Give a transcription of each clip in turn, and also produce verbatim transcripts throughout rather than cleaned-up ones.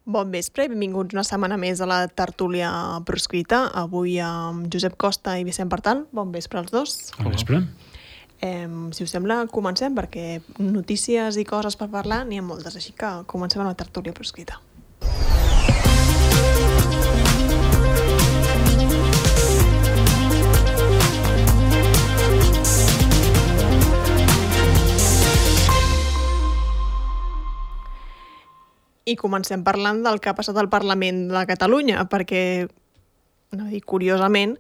Bon vespre i benvinguts una setmana més a la tertúlia proscrita. Avui amb Josep Costa i Vicent Partal. Bon vespre als dos. Bon vespre. Eh, si us sembla, comencem, perquè notícies i coses per parlar n'hi ha moltes, així que comencem amb la tertúlia proscrita. I comencem parlant del que ha passat al Parlament de Catalunya, perquè, no dic curiosament,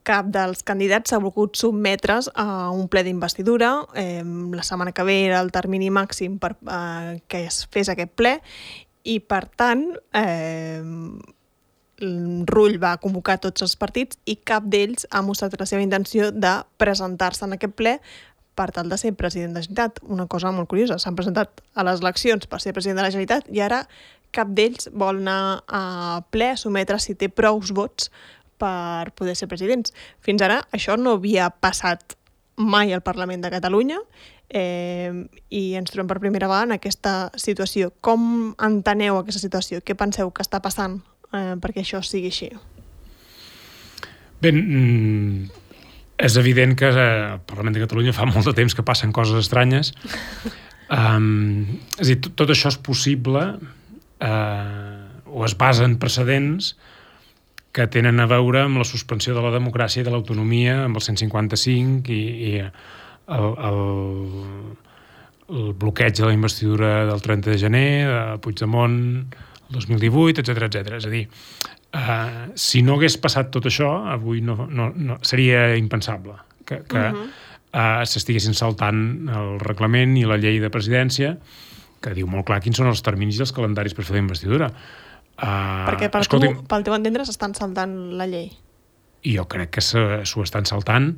cap dels candidats s'ha volgut sotmetre's a un ple d'investidura. Eh, la setmana que ve era el termini màxim per eh, que es fes aquest ple i, per tant, eh, Rull va convocar tots els partits i cap d'ells ha mostrat la seva intenció de presentar-se en aquest ple per tal de ser president de la Generalitat. Una cosa molt curiosa, s'han presentat a les eleccions per ser president de la Generalitat i ara cap d'ells vol anar a ple a sometre si té prous vots per poder ser presidents. Fins ara això no havia passat mai al Parlament de Catalunya eh, i ens trobem per primera vegada en aquesta situació. Com enteneu aquesta situació? Què penseu que està passant eh, perquè això sigui així? Bé, és evident que al Parlament de Catalunya fa molt de temps que passen coses estranyes. Um, és a dir, tot, tot això és possible uh, o es basa en precedents que tenen a veure amb la suspensió de la democràcia i de l'autonomia, amb el cent cinquanta-cinc i, i el, el, el bloqueig de la investidura del trenta de gener, de Puigdemont, el dos mil divuit, etcètera, etcètera. És a dir, Uh, si no hagués passat tot això, avui no, no, no, seria impensable que, que uh-huh. uh, s'estiguessin saltant el reglament i la llei de presidència, que diu molt clar quins són els terminis i els calendaris per fer la investidura. Uh, Perquè per escolti'm, tu, pel teu entendre s'estan saltant la llei. I jo crec que s'ho estan saltant.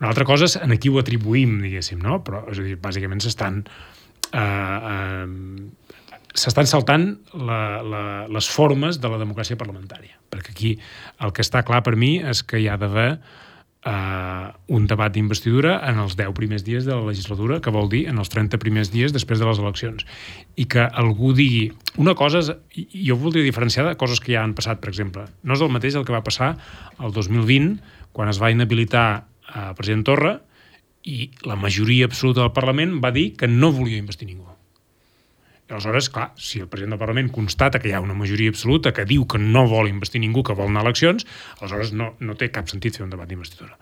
Una altra cosa és en qui ho atribuïm, diguéssim, no? Però, és a dir, bàsicament s'estan... Uh, uh, s'estan saltant la, la, les formes de la democràcia parlamentària. Perquè aquí el que està clar per mi és que hi ha d'haver eh, un debat d'investidura en els deu primers dies de la legislatura, que vol dir en els trenta primers dies després de les eleccions. I que algú digui... Una cosa és... Jo voldria diferenciar de coses que ja han passat, per exemple. No és el mateix el que va passar el dos mil vint, quan es va inhabilitar el president Torra i la majoria absoluta del Parlament va dir que no volia investir ningú. Aleshores, clar, si el president del Parlament constata que hi ha una majoria absoluta que diu que no vol investir ningú, que vol anar a eleccions, aleshores no, no té cap sentit fer un debat d'investidura.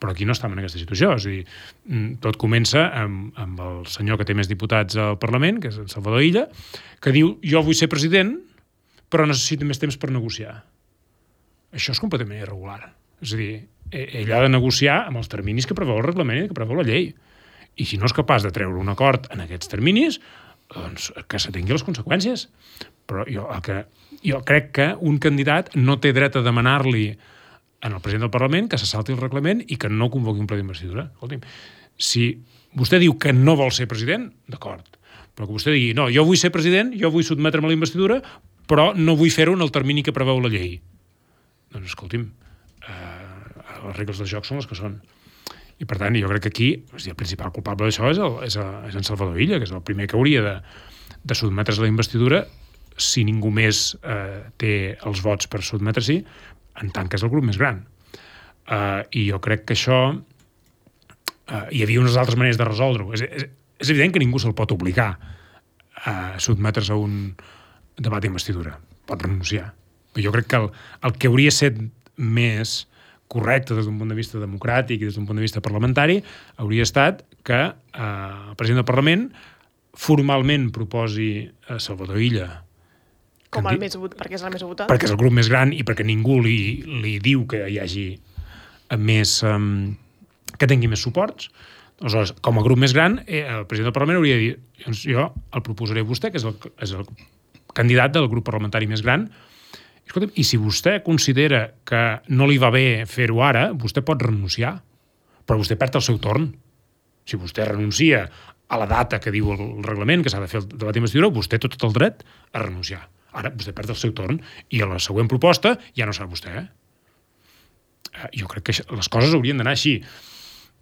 Però aquí no estem en aquesta situació. És a dir, tot comença amb, amb el senyor que té més diputats al Parlament, que és el Salvador Illa, que diu, jo vull ser president, però necessito més temps per negociar. Això és completament irregular. És a dir, ell ha de negociar amb els terminis que preveu el reglament i que preveu la llei. I si no és capaç de treure un acord en aquests terminis, doncs que se tingui les conseqüències. Però jo, el que, jo crec que un candidat no té dret a demanar-li al president del Parlament que se salti el reglament i que no convoqui un ple d'investidura. Escolti'm, si vostè diu que no vol ser president, d'acord, però que vostè digui, no, jo vull ser president, jo vull sotmetre'm a la investidura, però no vull fer-ho en el termini que preveu la llei. Doncs escolti'm, eh, les regles del joc són les que són. I, per tant, jo crec que aquí el principal culpable d'això és, el, és, el, és en Salvador Illa, que és el primer que hauria de, de sotmetre's a la investidura si ningú més eh, té els vots per sotmetre-s'hi, en tant que és el grup més gran. Uh, I jo crec que això... Uh, hi havia unes altres maneres de resoldre-ho. És, és, és evident que ningú se'l pot obligar a sotmetre's a un debat d'investidura. Pot renunciar. Però jo crec que el, el que hauria set més correcte des d'un punt de vista democràtic i des d'un punt de vista parlamentari, hauria estat que eh, el president del Parlament formalment proposi a Salvador Illa com el més votat, perquè és el més votat. Perquè és el grup més gran i perquè ningú li, li diu que hi hagi més... Um, que tingui més suports. Aleshores, com a grup més gran, eh, el president del Parlament hauria de dir, doncs jo el proposaré a vostè, que és el, és el candidat del grup parlamentari més gran. Escolta'm, i si vostè considera que no li va bé fer-ho ara, vostè pot renunciar, però vostè perd el seu torn. Si vostè renuncia a la data que diu el reglament, que s'ha de fer el debat d'investidura, vostè té tot el dret a renunciar. Ara vostè perd el seu torn i a la següent proposta ja no serà vostè. Eh? Jo crec que les coses haurien d'anar així.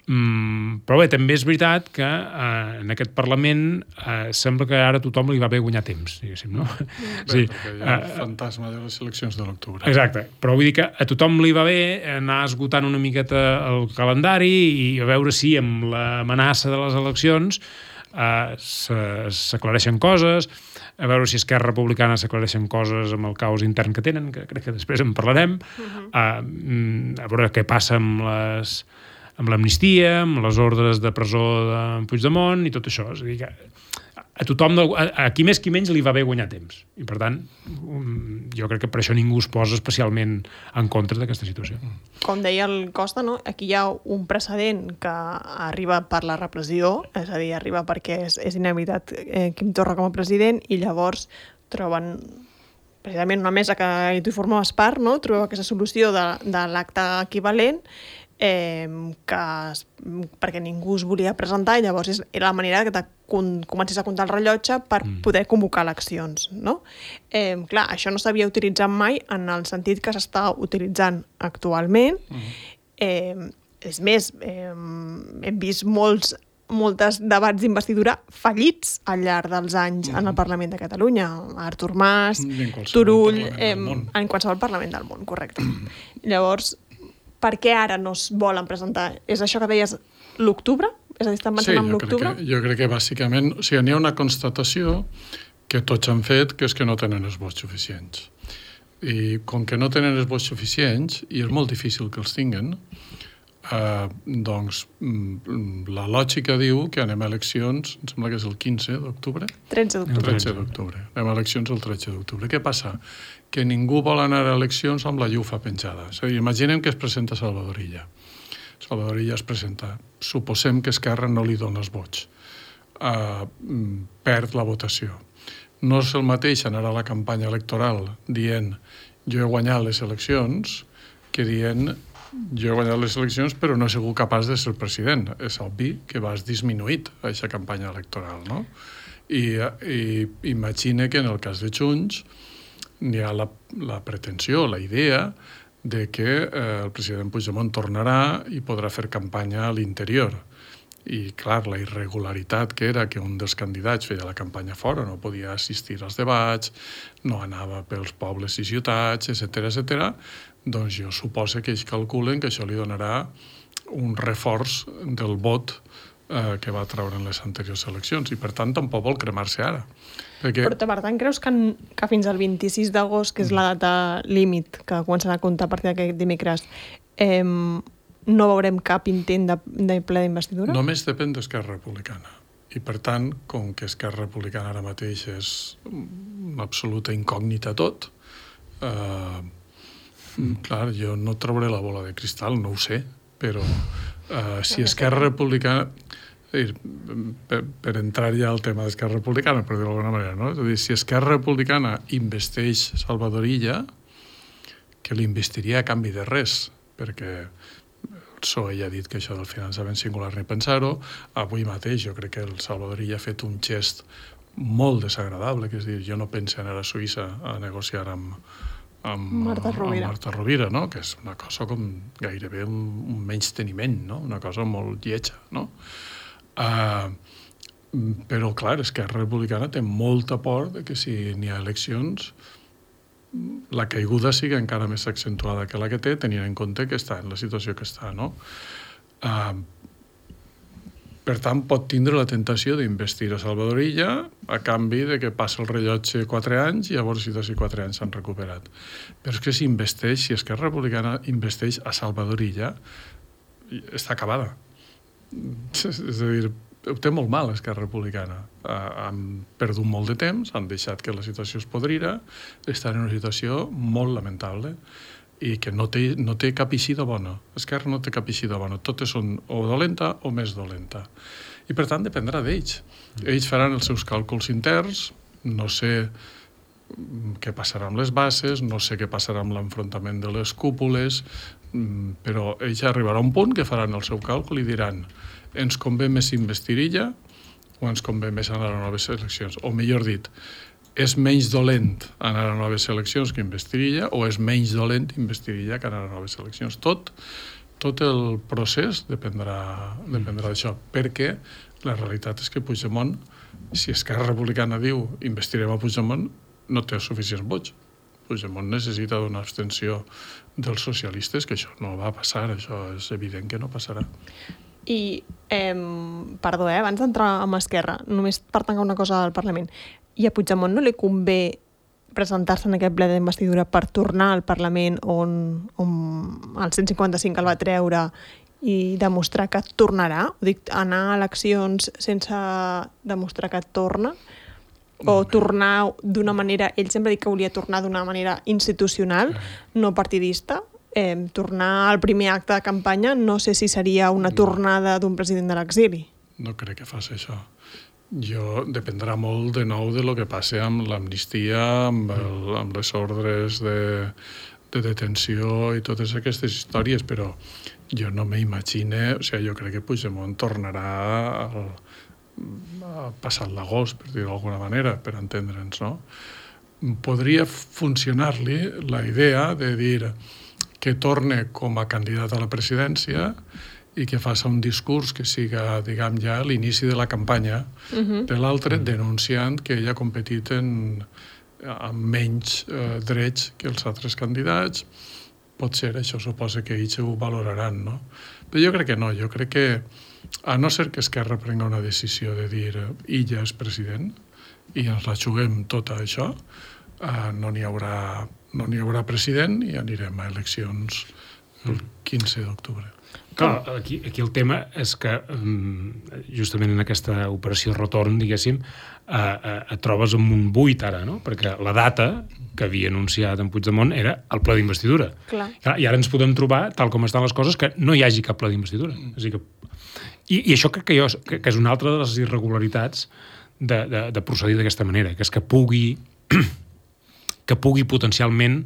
Mm, però bé, també és veritat que eh, en aquest Parlament eh, sembla que ara a tothom li va bé guanyar temps, diguéssim, no? Bé, sí, perquè hi ha el uh, fantasma de les eleccions de l'octubre. Exacte, però vull dir que a tothom li va bé anar esgotant una miqueta el calendari i a veure si amb l'amenaça de les eleccions eh, s'aclareixen coses, a veure si Esquerra Republicana s'aclareixen coses amb el caos intern que tenen, que crec que després en parlarem, uh-huh. eh, a veure què passa amb les amb l'amnistia, amb les ordres de presó de Puigdemont i tot això. És a dir, que a tothom, a qui més qui menys li va bé guanyar temps. I per tant, jo crec que per això ningú es posa especialment en contra d'aquesta situació. Com deia el Costa, no? Aquí hi ha un precedent que arriba per la repressió, és a dir, arriba perquè és, és inhabilitat eh, Quim Torra com a president, i llavors troben precisament una mesa que tu formaves part, no? Trobeu aquesta solució de, de l'acte equivalent, Eh, que, perquè ningú es volia presentar, i llavors és, era la manera que te con, comencis a comptar el rellotge per mm. poder convocar eleccions, no? Eh, clar, això no s'havia utilitzat mai en el sentit que s'està utilitzant actualment. Mm. Eh, és més, eh, hem vist molts moltes debats d'investidura fallits al llarg dels anys mm. en el Parlament de Catalunya. Artur Mas, Turull, eh, en qualsevol Parlament del món, correcte. Mm. Llavors, per què ara no es volen presentar? És això que deies l'octubre? És a dir, estan pensant sí, en l'octubre? Sí, jo crec que bàsicament, o sigui, n'hi ha una constatació que tots han fet, que és que no tenen els vots suficients. I com que no tenen els vots suficients, i és molt difícil que els tinguen, eh, doncs la lògica diu que anem a eleccions, em sembla que és el quinze d'octubre? tretze d'octubre. tretze d'octubre. Anem a eleccions el tretze d'octubre. Què passa? Que ningú vol anar a eleccions amb la llufa penjada. És a dir, imaginem que es presenta Salvador Illa. Salvador Illa es presenta. Suposem que Esquerra no li dona els vots. Uh, perd la votació. No és el mateix anar a la campanya electoral dient jo he guanyat les eleccions que dient jo he guanyat les eleccions però no he sigut capaç de ser president. És obvi que vas disminuït a aquesta campanya electoral, no? I, i imagina que en el cas de Junts hi ha la, la pretensió, la idea de que eh, el president Puigdemont tornarà i podrà fer campanya a l'interior. I, clar, la irregularitat que era que un dels candidats feia la campanya fora, no podia assistir als debats, no anava pels pobles i ciutats, etcètera, etcètera, doncs jo suposo que ells calculen que això li donarà un reforç del vot eh, que va treure en les anteriors eleccions, i per tant tampoc vol cremar-se ara. Perquè... Però per tant creus que, en, que fins al vint-i-sis d'agost, que és la data límit que començarà a comptar a partir d'aquest dimecres, eh, no veurem cap intent de, de ple d'investidura? Només depèn d'Esquerra Republicana. I per tant, com que Esquerra Republicana ara mateix és una absoluta incògnita tot, eh, mm. clar, jo no trauré la bola de cristal, no ho sé, però eh, si Esquerra Republicana... Per, per entrar ja al tema d'Esquerra Republicana, per dir-ho d'alguna manera, no? És a dir, si Esquerra Republicana investeix Salvador Illa, que l'investiria a canvi de res, perquè el P S O E ja ha dit que això del finançament singular ni pensar-ho. Avui mateix jo crec que el Salvador Illa ha fet un gest molt desagradable, que és dir, jo no penso anar a Suïssa a negociar amb, amb, Marta Rovira, amb Marta Rovira, no? Que és una cosa com gairebé un, un menysteniment, no? Una cosa molt lletja, no? Uh, però, clar, Esquerra Republicana té molta por de que si n'hi ha eleccions la caiguda sigui encara més accentuada que la que té, tenint en compte que està en la situació que està, no? Uh, per tant, pot tindre la tentació d'investir a Salvador Illa a canvi de que passa el rellotge quatre anys i llavors si d'ací quatre anys s'han recuperat. Però és que si investeix, si Esquerra Republicana investeix a Salvador Illa, està acabada. És a dir, ho té molt mal Esquerra Republicana. Han perdut molt de temps, han deixat que la situació es podrira, estan en una situació molt lamentable i que no té, no té cap eixida bona. Esquerra no té cap eixida bona. Totes són o dolenta o més dolenta. I per tant dependrà d'ells. Ells faran els seus càlculs interns, no sé què passarà amb les bases, no sé què passarà amb l'enfrontament de les cúpules, però ells arribarà a un punt que faran el seu càlcul i diran ens convé més investir Illa o ens convé més anar a noves eleccions, o millor dit, és menys dolent anar a noves eleccions que investir Illa o és menys dolent investir Illa que anar a noves eleccions. Tot tot el procés dependrà, dependrà d'això, perquè la realitat és que Puigdemont, si Esquerra Republicana diu investirem a Puigdemont, no té suficients vots. Puigdemont necessita una abstenció dels socialistes, que això no va passar, això és evident que no passarà. I, eh, perdó, eh, abans d'entrar amb Esquerra, només per tancar una cosa al Parlament, i a Puigdemont no li convé presentar-se en aquest ple d'investidura per tornar al Parlament on, on el cent cinquanta-cinc el va treure i demostrar que tornarà? Ho dic, anar a eleccions sense demostrar que torna? O tornar d'una manera... Ell sempre ha dit que volia tornar d'una manera institucional, no partidista. Eh, tornar al primer acte de campanya, no sé si seria una tornada d'un president de l'exili. No crec que faci això. Jo dependrà molt de nou de lo que passi amb l'amnistia, amb, el, amb les ordres de, de detenció i totes aquestes històries, però jo no m'imagine, o sigui, jo crec que Puigdemont tornarà al, a passar l'agost, per dir-ho d'alguna manera, per entendre'ns, no? Podria funcionar-li la idea de dir que torne com a candidat a la presidència i que faci un discurs que siga, diguem, ja l'inici de la campanya uh-huh. de l'altre, denunciant que ell ha competit en, amb menys eh, drets que els altres candidats. Pot ser, això suposa que ells ho valoraran, no? Però jo crec que no, jo crec que, a no ser que Esquerra prenga una decisió de dir ella és president i ens la juguem tota això, eh, no n'hi haurà, no n'hi haurà president i anirem a eleccions el quinze d'octubre. Clar, aquí, aquí el tema és que justament en aquesta operació retorn, diguéssim, eh, eh, et trobes amb un buit ara, no? Perquè la data que havia anunciat en Puigdemont era el ple d'investidura. Clar. I ara ens podem trobar, tal com estan les coses, que no hi hagi cap ple d'investidura. Mm. És a dir que... I, I això crec que, jo, que, que és una altra de les irregularitats de, de, de procedir d'aquesta manera, que és que pugui, que pugui potencialment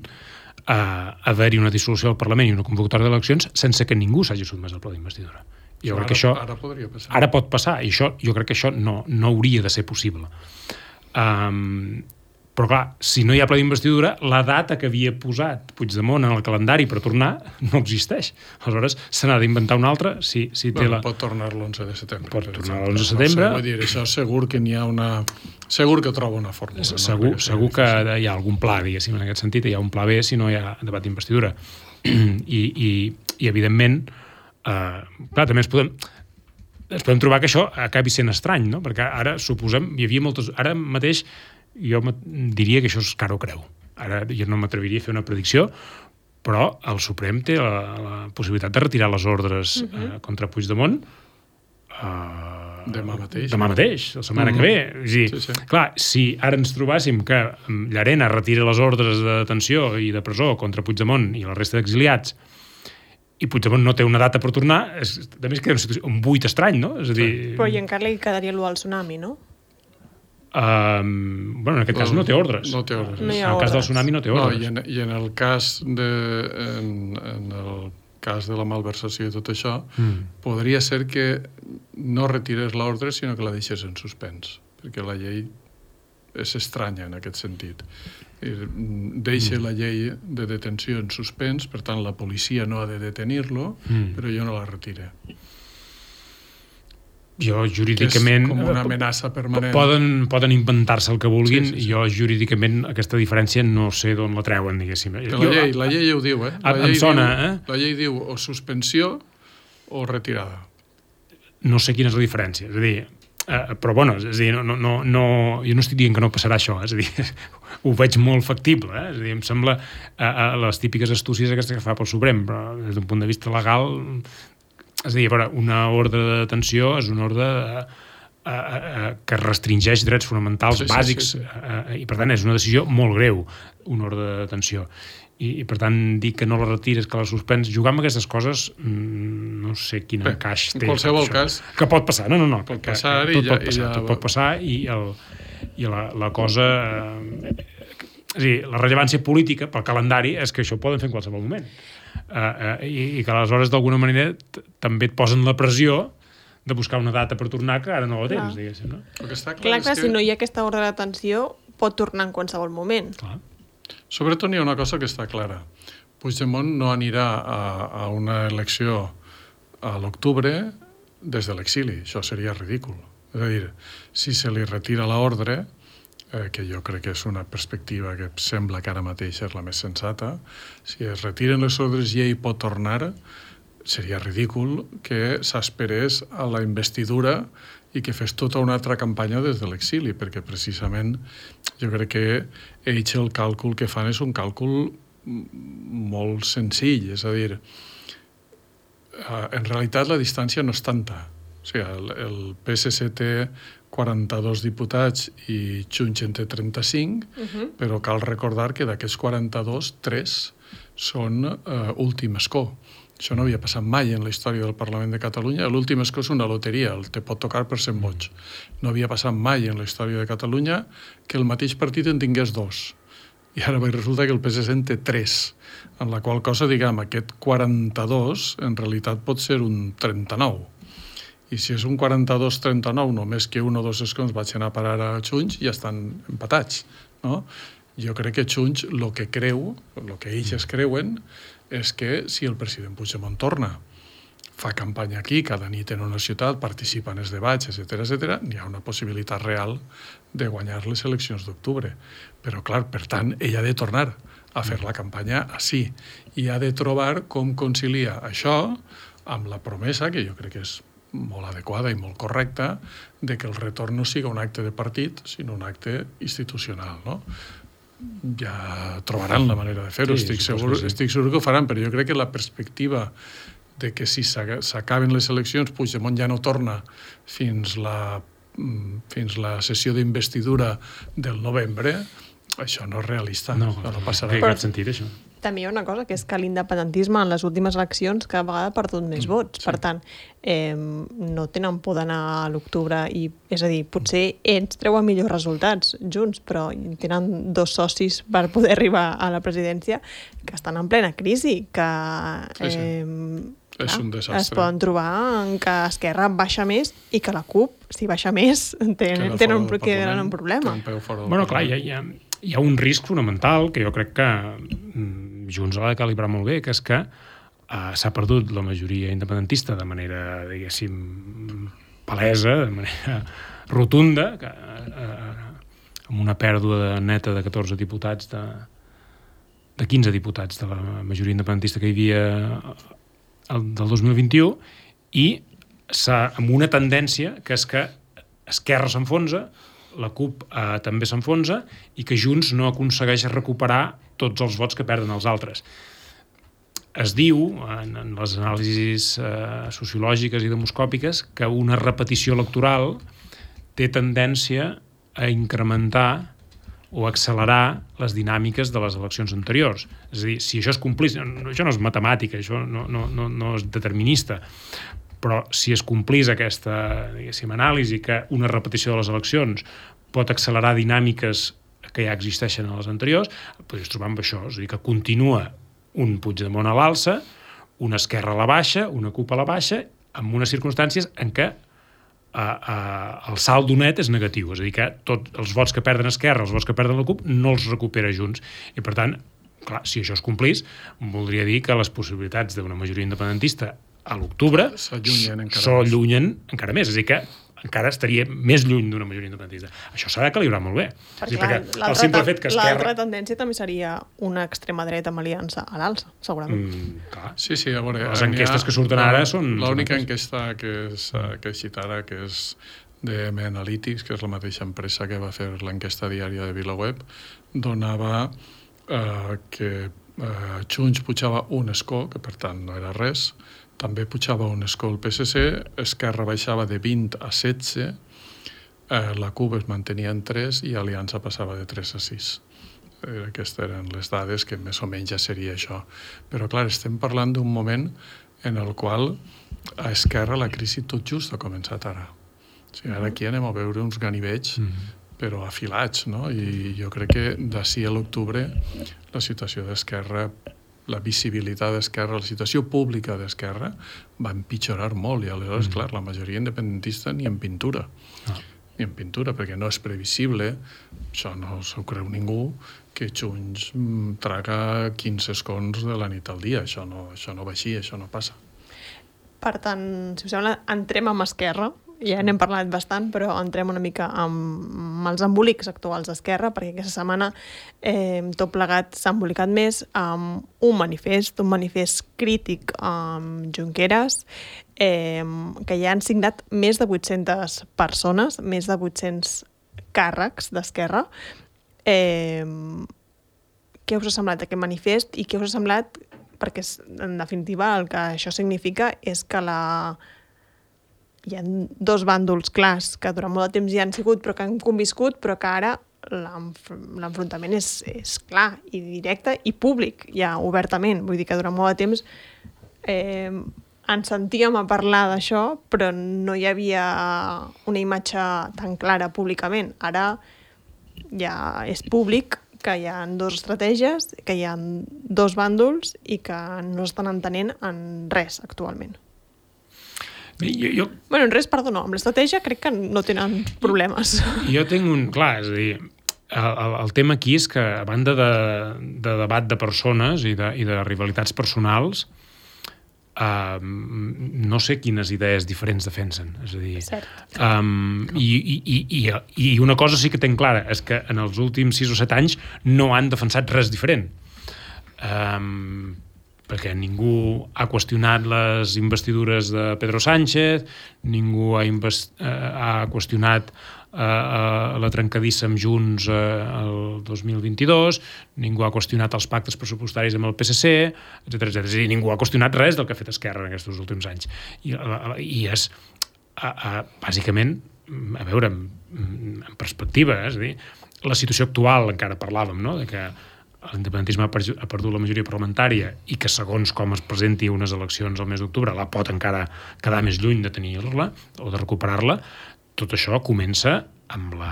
a haver-hi una dissolució del Parlament i una convocatòria d'eleccions sense que ningú s'hagi sotmès al pla d'investidura. Jo crec ara, que això... Ara podria passar. Ara pot passar, i això, jo crec que això no, no hauria de ser possible. Um, però clar, si no hi ha pla d'investidura, la data que havia posat Puigdemont en el calendari per tornar no existeix. Aleshores, se n'ha d'inventar una altra. Si, si té bueno, la... Pot tornar l'onze de setembre. Pot tornar l'onze de setembre. No sé, vull dir, això segur que n'hi ha una... Segur que troba una fórmula. Segur, no? segur que hi ha algun pla, diguéssim, en aquest sentit. Hi ha un pla B si no hi ha debat d'investidura. I, i, i, evidentment, eh, clar, també ens podem... ens podem trobar que això acabi sent estrany, no? Perquè ara, suposem, hi havia moltes... Ara mateix jo diria que això és cara o creu. Ara jo no m'atreviria a fer una predicció, però el Suprem té la, la possibilitat de retirar les ordres uh-huh. eh, contra Puigdemont eh, demà mateix. Demà mateix, la setmana uh-huh. que ve. És dir, sí, sí. Clar, si ara ens trobàssim que Llarena retira les ordres de detenció i de presó contra Puigdemont i la resta d'exiliats i Puigdemont no té una data per tornar, és, a més queda un buit estrany, no? És a dir... Però i encara li quedaria l'u al tsunami, no? Um, bueno, en aquest no, cas no té ordres. No té ordres. No hi en ha el ordres. cas del tsunami no té ordres. No, i, en, i en el cas de... En, en el cas de la malversació i tot això, mm. podria ser que no retirés l'ordre, sinó que la deixés en suspens, perquè la llei és estranya en aquest sentit. Deixa mm. la llei de detenció en suspens, per tant la policia no ha de detenir-lo, mm. però jo no la retire. Jo jurídicament... Com una amenaça permanent. Poden, poden inventar-se el que vulguin, sí, sí, sí. jo jurídicament aquesta diferència no sé d'on la treuen, diguéssim. La llei, la llei ho diu, eh? La em sona, diu, eh? La llei diu o suspensió o retirada. No sé quina és la diferència, és a dir, eh, però bueno, és a dir, no, no, no, jo no estic dient que no passarà això, és a dir, ho veig molt factible, eh? És a dir, em sembla eh, eh, les típiques astúcies aquestes que fa pel Suprem, però des d'un punt de vista legal... És a dir, una ordre de detenció és una ordre de, a, a, a, que restringeix drets fonamentals sí, bàsics sí, sí, sí. A, a, i per tant és una decisió molt greu, una ordre de detenció. I, i per tant dir que no la retires, que la suspens, jugar amb aquestes coses no sé quin Bé, encaix té. En qualsevol cas... Que pot passar, no, no, no. Pot que, passar que, que, tot i ja... pot passar, ja... tot pot passar i, el, i la, la cosa... Eh, és a dir, la rellevància política pel calendari és que això ho poden fer en qualsevol moment. Uh, uh, i, i que aleshores d'alguna manera t- també et posen la pressió de buscar una data per tornar que ara no la tens, diguéssim, no? El que està clar, clar, clar que... si no hi ha aquesta ordre d'atenció pot tornar en qualsevol moment. Clar. Sobretot hi ha una cosa que està clara. Puigdemont no anirà a, a una elecció a l'octubre des de l'exili. Això seria ridícul. És a dir, si se li retira l'ordre, eh, que jo crec que és una perspectiva que sembla que ara mateix és la més sensata, si es retiren les ordres i ell pot tornar, seria ridícul que s'esperés a la investidura i que fes tota una altra campanya des de l'exili, perquè precisament jo crec que ells el càlcul que fan és un càlcul molt senzill, és a dir, en realitat la distància no és tanta. O sigui, el, el P S C té quaranta-dos diputats i Junts en té trenta-cinc, uh-huh. però cal recordar que d'aquests quaranta-dos, tres són uh, últim escó. Això no havia passat mai en la història del Parlament de Catalunya. L'últim escó és una loteria, el te pot tocar per cent vots. No havia passat mai en la història de Catalunya que el mateix partit en tingués dos. I ara resulta que el P S C en té tres, en la qual cosa, diguem, aquest quaranta-dos en realitat pot ser un trenta-nou. I si és un quaranta-dos trenta-nou, només que un o dos escons vagin a parar a Junts, ja estan empatats, no? Jo crec que Junts el que creu, el que ells es creuen, és que si el president Puigdemont torna, fa campanya aquí, cada nit en una ciutat, participa en els debats, etcètera, etcètera, n'hi ha una possibilitat real de guanyar les eleccions d'octubre. Però, clar, per tant, ell ha de tornar a fer la campanya així i ha de trobar com concilia això amb la promesa, que jo crec que és molt adequada i molt correcta, de que el retorn no siga un acte de partit, sinó un acte institucional, no? Ja trobaran la manera de fer-ho, sí, estic, segur, sí. estic segur que ho faran, però jo crec que la perspectiva de que si s'acaben les eleccions Puigdemont ja no torna fins la, fins la sessió d'investidura del novembre, això no és realista. No, no, no passarà. No té cap sentit, això. També hi ha una cosa, que és que l'independentisme en les últimes eleccions cada vegada ha perdut més vots. Sí. Per tant, eh, no tenen por d'anar a l'octubre i, és a dir, potser ells treuen millors resultats junts, però tenen dos socis per poder arribar a la presidència que estan en plena crisi, que sí, sí. Eh, és un desastre. Es poden trobar que Esquerra baixa més i que la CUP, si baixa més, tenen, tenen un, tenen un problema. Bueno, clar, hi ha, hi ha, hi ha un risc fonamental que jo crec que Junts ha de calibrar molt bé, que és que uh, s'ha perdut la majoria independentista de manera, diguéssim, palesa, de manera rotunda, que, uh, amb una pèrdua neta de catorze diputats, de, de quinze diputats de la majoria independentista que hi havia el, del dos mil vint-i-u, i s'ha, amb una tendència que és que Esquerra s'enfonsa, la CUP eh, també s'enfonsa i que Junts no aconsegueix recuperar tots els vots que perden els altres. Es diu, en, en les anàlisis eh, sociològiques i demoscòpiques, que una repetició electoral té tendència a incrementar o accelerar les dinàmiques de les eleccions anteriors. És a dir, si això es complís, això no és matemàtica, això no, no, no, no és determinista, però si es complís aquesta, diguéssim, anàlisi que una repetició de les eleccions pot accelerar dinàmiques que ja existeixen a les anteriors, podries trobar amb això, és a dir, que continua un Puigdemont a l'alça, una Esquerra a la baixa, una CUP a la baixa, amb unes circumstàncies en què a, a, el saldo net és negatiu, és a dir, que tots els vots que perden Esquerra, els vots que perden la CUP, no els recupera Junts. I, per tant, clar, si això es complís, voldria dir que les possibilitats d'una majoria independentista a l'octubre s'allunyen encara més, és a dir, que encara estaria més lluny d'una majoria independentista. Això s'ha de calibrar molt bé. Perquè, dir, perquè el simple fet que Esquerra... L'altra tendència també seria una extrema dreta amb aliança a l'alça, segurament. Mm, clar. Sí, sí, a veure... Les enquestes ha, que surten ara són... L'única enquesta que, és, que he citat ara, que és de M Analytics, que és la mateixa empresa que va fer l'enquesta diària de VilaWeb, donava eh, que eh, Junts pujava un escó, que per tant no era res, també pujava un escó el P S C, Esquerra baixava de vint a setze, eh, la CUP es mantenia en tres i Aliança passava de tres a sis. Eh, aquestes eren les dades que més o menys ja seria això. Però clar, estem parlant d'un moment en el qual a Esquerra la crisi tot just ha començat ara. O sigui, ara aquí anem a veure uns ganivets, mm-hmm. però afilats, no? I jo crec que d'ací a l'octubre la situació d'Esquerra, la visibilitat d'Esquerra, la situació pública d'Esquerra va empitjorar molt i aleshores, mm. clar, la majoria independentista ni en pintura. Ah. Ni en pintura, perquè no és previsible, això no s'ho creu ningú, que Junts traga quinze escons de la nit al dia. Això no, això no va així, això no passa. Per tant, si us sembla, entrem amb Esquerra. Ja n'hem parlat bastant, però entrem una mica amb els embolics actuals d'Esquerra, perquè aquesta setmana eh, tot plegat s'ha embolicat més amb un manifest, un manifest crític amb Junqueras, eh, que ja han signat més de vuit-centes persones, més de vuit-cents càrrecs d'Esquerra. Eh, què us ha semblat aquest manifest i què us ha semblat? Perquè, en definitiva, el que això significa és que la... hi ha dos bàndols clars que durant molt de temps hi han sigut però que han conviscut, però que ara l'enfrontament és, és clar i directe i públic, ja obertament. Vull dir que durant molt de temps eh, ens sentíem a parlar d'això, però no hi havia una imatge tan clara públicament. Ara ja és públic que hi ha dues estratègies, que hi ha dos bàndols i que no estan entenent en res actualment. Jo, jo... Bueno, en res, perdó, no. Amb l'estratègia crec que no tenen problemes. Jo tinc un... Clar, és a dir, el, el tema aquí és que, a banda de, de debat de persones i de, i de rivalitats personals, uh, no sé quines idees diferents defensen. És a dir... Cert. Um, i, i, i, I una cosa sí que tenc clara, és que en els últims sis o set anys no han defensat res diferent. Um, perquè ningú ha qüestionat les investidures de Pedro Sánchez, ningú ha, invest... ha qüestionat uh, la trencadissa amb Junts uh, el dos mil vint-i-dos, ningú ha qüestionat els pactes pressupostaris amb el P S C, etcètera, etcètera. És a dir, ningú ha qüestionat res del que ha fet Esquerra en aquests últims anys. I, i és, a, a, bàsicament, a veure, en, en perspectiva, és a dir, la situació actual, encara parlàvem, no?, de que l'independentisme ha perdut la majoria parlamentària i que segons com es presenti unes eleccions al mes d'octubre la pot encara quedar més lluny de tenir-la o de recuperar-la, tot això comença amb, la,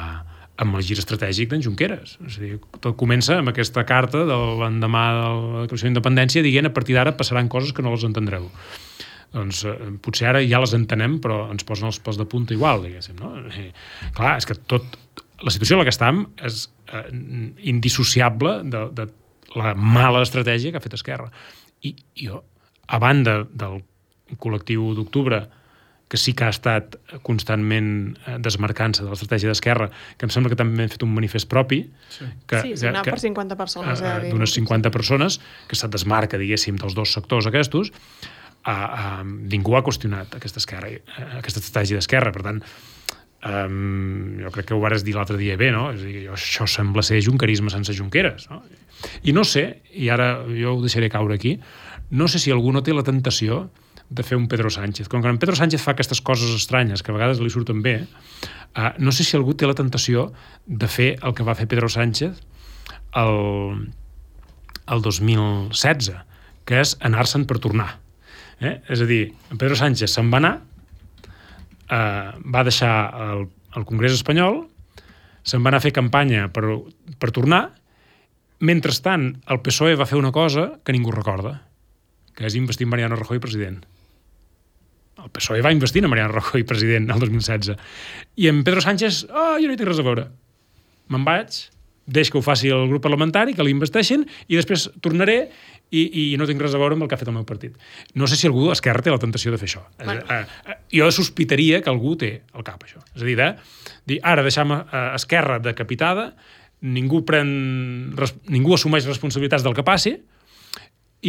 amb el gir estratègic d'en Junqueras. És a dir, tot comença amb aquesta carta de l'endemà de la declaració d'independència dient a partir d'ara passaran coses que no les entendreu. Doncs eh, potser ara ja les entenem però ens posen els pèls de punta igual, diguéssim, no? I, clar, és que tot la situació en la que estem és eh, indissociable de, de la mala estratègia que ha fet Esquerra. I jo, a banda del col·lectiu d'octubre, que sí que ha estat constantment desmarcant-se de l'estratègia d'Esquerra, que em sembla que també han fet un manifest propi, sí, que, sí, sí, per cinquanta persones. Eh, d'unes cinquanta persones, que se't desmarca, diguéssim, dels dos sectors aquests, eh, eh, ningú ha qüestionat aquesta, esquerra, eh, aquesta estratègia d'Esquerra. Per tant, Um, jo crec que ho vares dir l'altre dia bé, no? És a dir, això sembla ser junquerisme sense Junqueras, no? I no sé, i ara jo ho deixaré caure aquí, no sé si algú no té la tentació de fer un Pedro Sánchez. Com que en Pedro Sánchez fa aquestes coses estranyes que a vegades li surten bé, uh, no sé si algú té la tentació de fer el que va fer Pedro Sánchez el, el dos mil setze, que és anar-se'n per tornar. Eh? És a dir, en Pedro Sánchez se'n va anar, Uh, va deixar el, el Congrés espanyol, se'n va anar a fer campanya per, per tornar. Mentrestant, el P S O E va fer una cosa que ningú recorda, que és investir en Mariano Rajoy president. El P S O E va investir en Mariano Rajoy president el dos mil setze. I en Pedro Sánchez, oh, jo no hi tinc res a veure. Me'n vaig, deix que ho faci el grup parlamentari, que l'investeixin, i després tornaré i, i no tinc res a veure amb el que ha fet el meu partit. No sé si algú d'Esquerra té la tentació de fer això. Bueno. Eh, eh, jo sospitaria que algú té al cap això. És a dir, de, dir, ara deixem eh, Esquerra decapitada, ningú pren, res, ningú assumeix responsabilitats del que passi,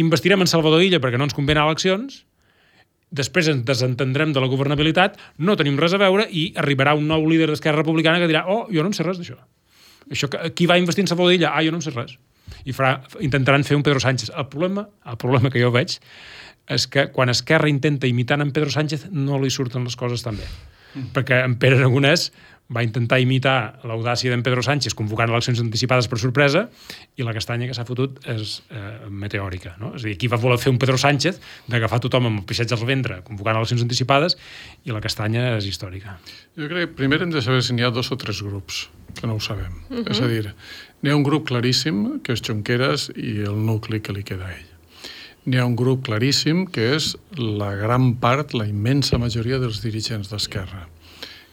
investirem en Salvador Illa perquè no ens convé anar a eleccions, després ens desentendrem de la governabilitat, no tenim res a veure i arribarà un nou líder d'Esquerra Republicana que dirà, oh, jo no en sé res d'això. Això, qui va investir en Salvador Illa? Ah, jo no en sé res. I farà, intentaran fer un Pedro Sánchez. El problema, el problema que jo veig és que quan Esquerra intenta imitar en Pedro Sánchez no li surten les coses tan bé. Mm. Perquè en Pere Aragonès va intentar imitar l'audàcia d'en Pedro Sánchez convocant eleccions anticipades per sorpresa i la castanya que s'ha fotut és eh, meteòrica. No? És a dir, aquí va voler fer un Pedro Sánchez d'agafar tothom amb el pixets al ventre convocant eleccions anticipades i la castanya és històrica. Jo crec que primer hem de saber si n'hi ha dos o tres grups, que no ho sabem. Uh-huh. És a dir, n'hi ha un grup claríssim, que és Junqueras i el nucli que li queda a ell. N'hi ha un grup claríssim, que és la gran part, la immensa majoria dels dirigents d'Esquerra,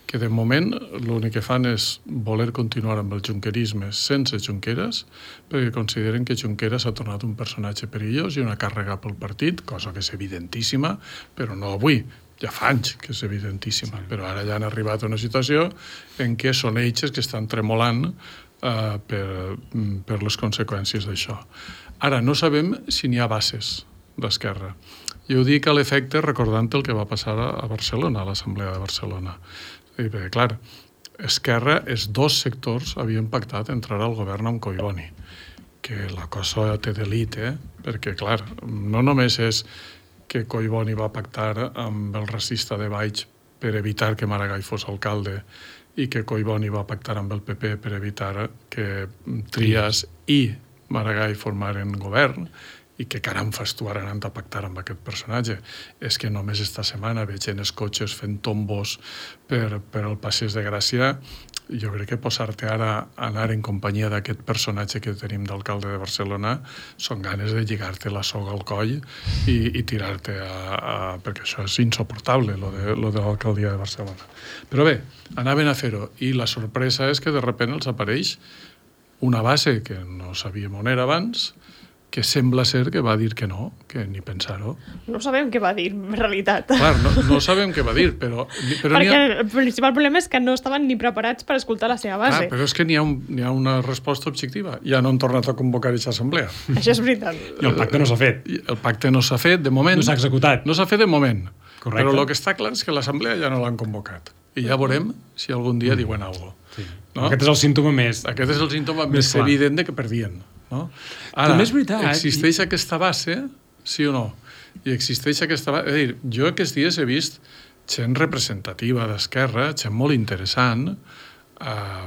que de moment l'únic que fan és voler continuar amb el junquerisme sense Junqueras, perquè consideren que Junqueras ha tornat un personatge perillós i una càrrega pel partit, cosa que és evidentíssima, però no avui, ja fa anys que és evidentíssima, sí. Però ara ja han arribat a una situació en què són ells que estan tremolant uh, per, per les conseqüències d'això. Ara, no sabem si n'hi ha bases d'Esquerra. Jo ho dic a l'efecte recordant el que va passar a Barcelona, a l'Assemblea de Barcelona. I bé, clar, Esquerra, els dos sectors havien pactat entrar al govern amb Collboni, que la cosa té delit, eh? Perquè, clar, no només és que Collboni va pactar amb el racista de Baix per evitar que Maragall fos alcalde i que Collboni va pactar amb el P P per evitar que Trias i Maragall formaren govern, i que caram fas tu ara anant a pactar amb aquest personatge. És que només esta setmana veig en els cotxes fent tombos per, per el Passeig de Gràcia. Jo crec que posar-te ara a anar en companyia d'aquest personatge que tenim d'alcalde de Barcelona són ganes de lligar-te la soga al coll i, i tirar-te a, a... perquè això és insoportable, lo de, lo de l'alcaldia de Barcelona. Però bé, anaven a fer-ho i la sorpresa és que de repente els apareix una base que no sabíem on era abans, que sembla ser que va dir que no, que ni pensar-ho. No sabem què va dir, en realitat. Clar, no, no sabem què va dir, però... però Perquè ha... el principal problema és que no estaven ni preparats per escoltar la seva base. Clar, però és que n'hi ha, un, n'hi ha una resposta objectiva. Ja no han tornat a convocar aquesta assemblea. Això és veritat. I el pacte no s'ha fet. El pacte no s'ha fet, de moment. No s'ha executat. No s'ha fet de moment. Correcte. Però el que està clar és que l'assemblea ja no l'han convocat. I ja veurem si algun dia mm. diuen alguna cosa. Sí. No? Aquest és el símptoma més... Aquest és el símptoma més, més evident de que perdien. No? Ara, també és veritat, existeix i... aquesta base, sí o no? I existeix aquesta base... És a dir, jo aquests dies he vist gent representativa d'Esquerra, gent molt interessant, eh,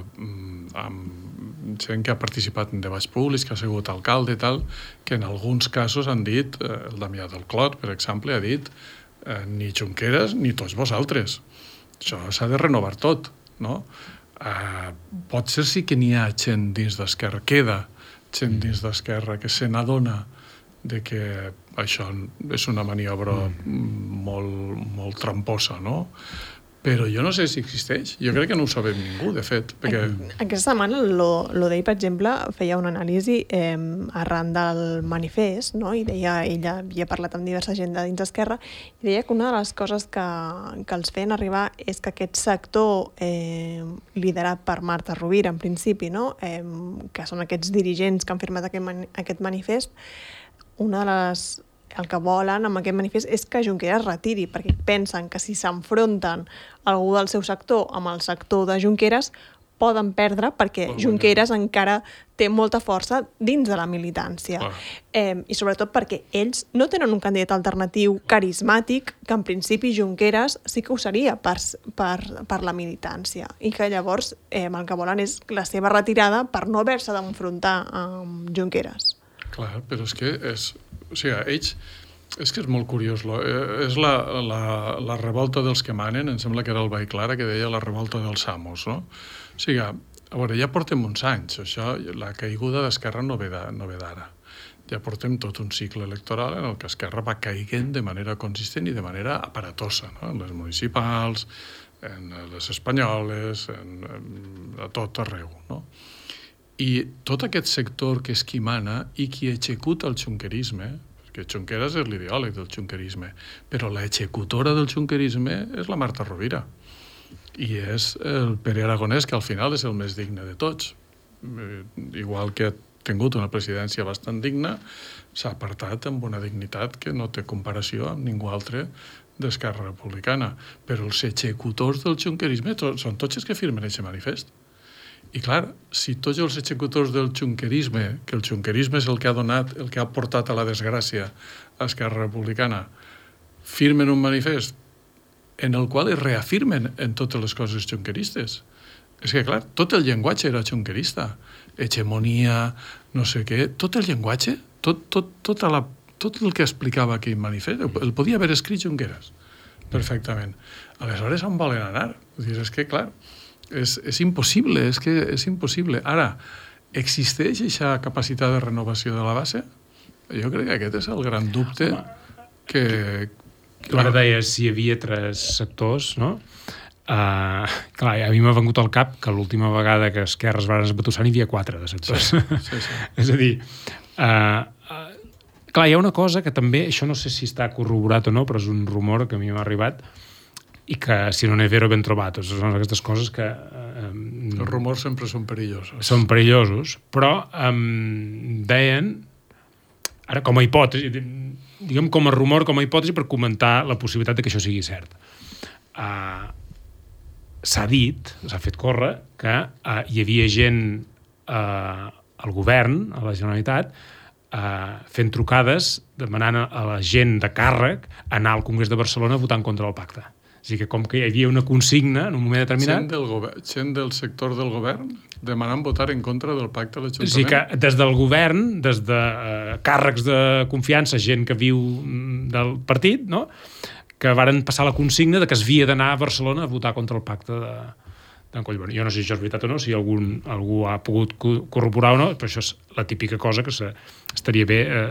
amb gent que ha participat en debats públics, que ha sigut alcalde i tal, que en alguns casos han dit, eh, el Damià del Clot, per exemple, ha dit eh, ni Junqueras ni tots vosaltres. Això s'ha de renovar tot, no? Eh, pot ser sí que n'hi ha gent dins d'Esquerra, queda gent dins d'Esquerra que se n'adona de que això és una maniobra mm. molt, molt tramposa, no? Però jo no sé si existeix. Jo crec que no ho sabem ningú, de fet. Perquè... Aquesta setmana l'Odei, per exemple, feia una anàlisi eh, arran del manifest, no? I deia, ella havia parlat amb diversa gent de dins d'Esquerra, i deia que una de les coses que, que els feien arribar és que aquest sector eh, liderat per Marta Rovira, en principi, no? eh, que són aquests dirigents que han firmat aquest, mani aquest manifest, una de les... el que volen amb aquest manifest és que Junqueras retiri, perquè pensen que si s'enfronten algú del seu sector amb el sector de Junqueras poden perdre perquè oh, Junqueras bueno. encara té molta força dins de la militància. Oh. Eh, I sobretot perquè ells no tenen un candidat alternatiu carismàtic que en principi Junqueras sí que ho seria per, per, per la militància i que llavors eh, el que volen és la seva retirada per no haver-se d'enfrontar amb Junqueras. Clar, però és que és... O sigui, ells... És que és molt curiós. Lo, eh, és la, la, la revolta dels que manen, em sembla que era el Vall Clara, que deia la revolta dels amos, no? O sigui, a veure, ja portem uns anys, això, la caiguda d'Esquerra no ve d'ara. Ja portem tot un cicle electoral en el que Esquerra va caiguent de manera consistent i de manera aparatosa, no? En les municipals, en les espanyoles, en, en, a tot arreu, no? I tot aquest sector que és qui mana i qui executa el xunquerisme, perquè Junqueras és l'ideòleg del xunquerisme, però l'executora del xunquerisme és la Marta Rovira. I és el Pere Aragonès, que al final és el més digne de tots. Igual que ha tingut una presidència bastant digna, s'ha apartat amb una dignitat que no té comparació amb ningú altre d'Esquerra Republicana. Però els executors del xunquerisme són tots els que firmen aquest manifest. I clar, si tots els executors del xunquerisme, que el xunquerisme és el que ha donat, el que ha portat a la desgràcia a Esquerra Republicana, firmen un manifest en el qual es reafirmen en totes les coses xunqueristes. És que, clar, tot el llenguatge era xunquerista. Hegemonia, no sé què, tot el llenguatge, tot, tot, tota la, tot el que explicava aquell manifest, el podia haver escrit Junqueras, perfectament. Aleshores, on volen anar? Vull dir, és que, clar, És, és impossible, és que és impossible. Ara, existeix aquesta capacitat de renovació de la base? Jo crec que aquest és el gran dubte que... que... Ara deies si hi havia tres sectors, no? Uh, clar, a mi m'ha vengut al cap que l'última vegada que Esquerra es va esbatussar n'hi havia quatre de sectors. Sí, sí, sí. És a dir, uh, uh, clar, hi ha una cosa que també, això no sé si està corroborat o no, però és un rumor que a mi m'ha arribat i que, si no n'he vero, ben trobat. Són aquestes coses que... Uh, Els rumors sempre són perillosos. Són perillosos, però um, deien, ara com a hipòtesi, diguem com a rumor, com a hipòtesi, per comentar la possibilitat de que això sigui cert. Uh, s'ha dit, s'ha fet córrer, que uh, hi havia gent uh, al govern, a la Generalitat, uh, fent trucades, demanant a la gent de càrrec anar al Congrés de Barcelona a votar en contra del pacte. O sigui que com que hi havia una consigna en un moment determinat... Gent del, govern, gent del sector del govern demanant votar en contra del pacte de l'Ajuntament. O sigui que des del govern, des de uh, càrrecs de confiança, gent que viu del partit, no?, que varen passar la consigna de que es havia d'anar a Barcelona a votar contra el pacte de, d'en Collboni. Jo no sé si això és veritat o no, si algun, algú ha pogut corroborar o no, però això és la típica cosa que se, estaria bé eh,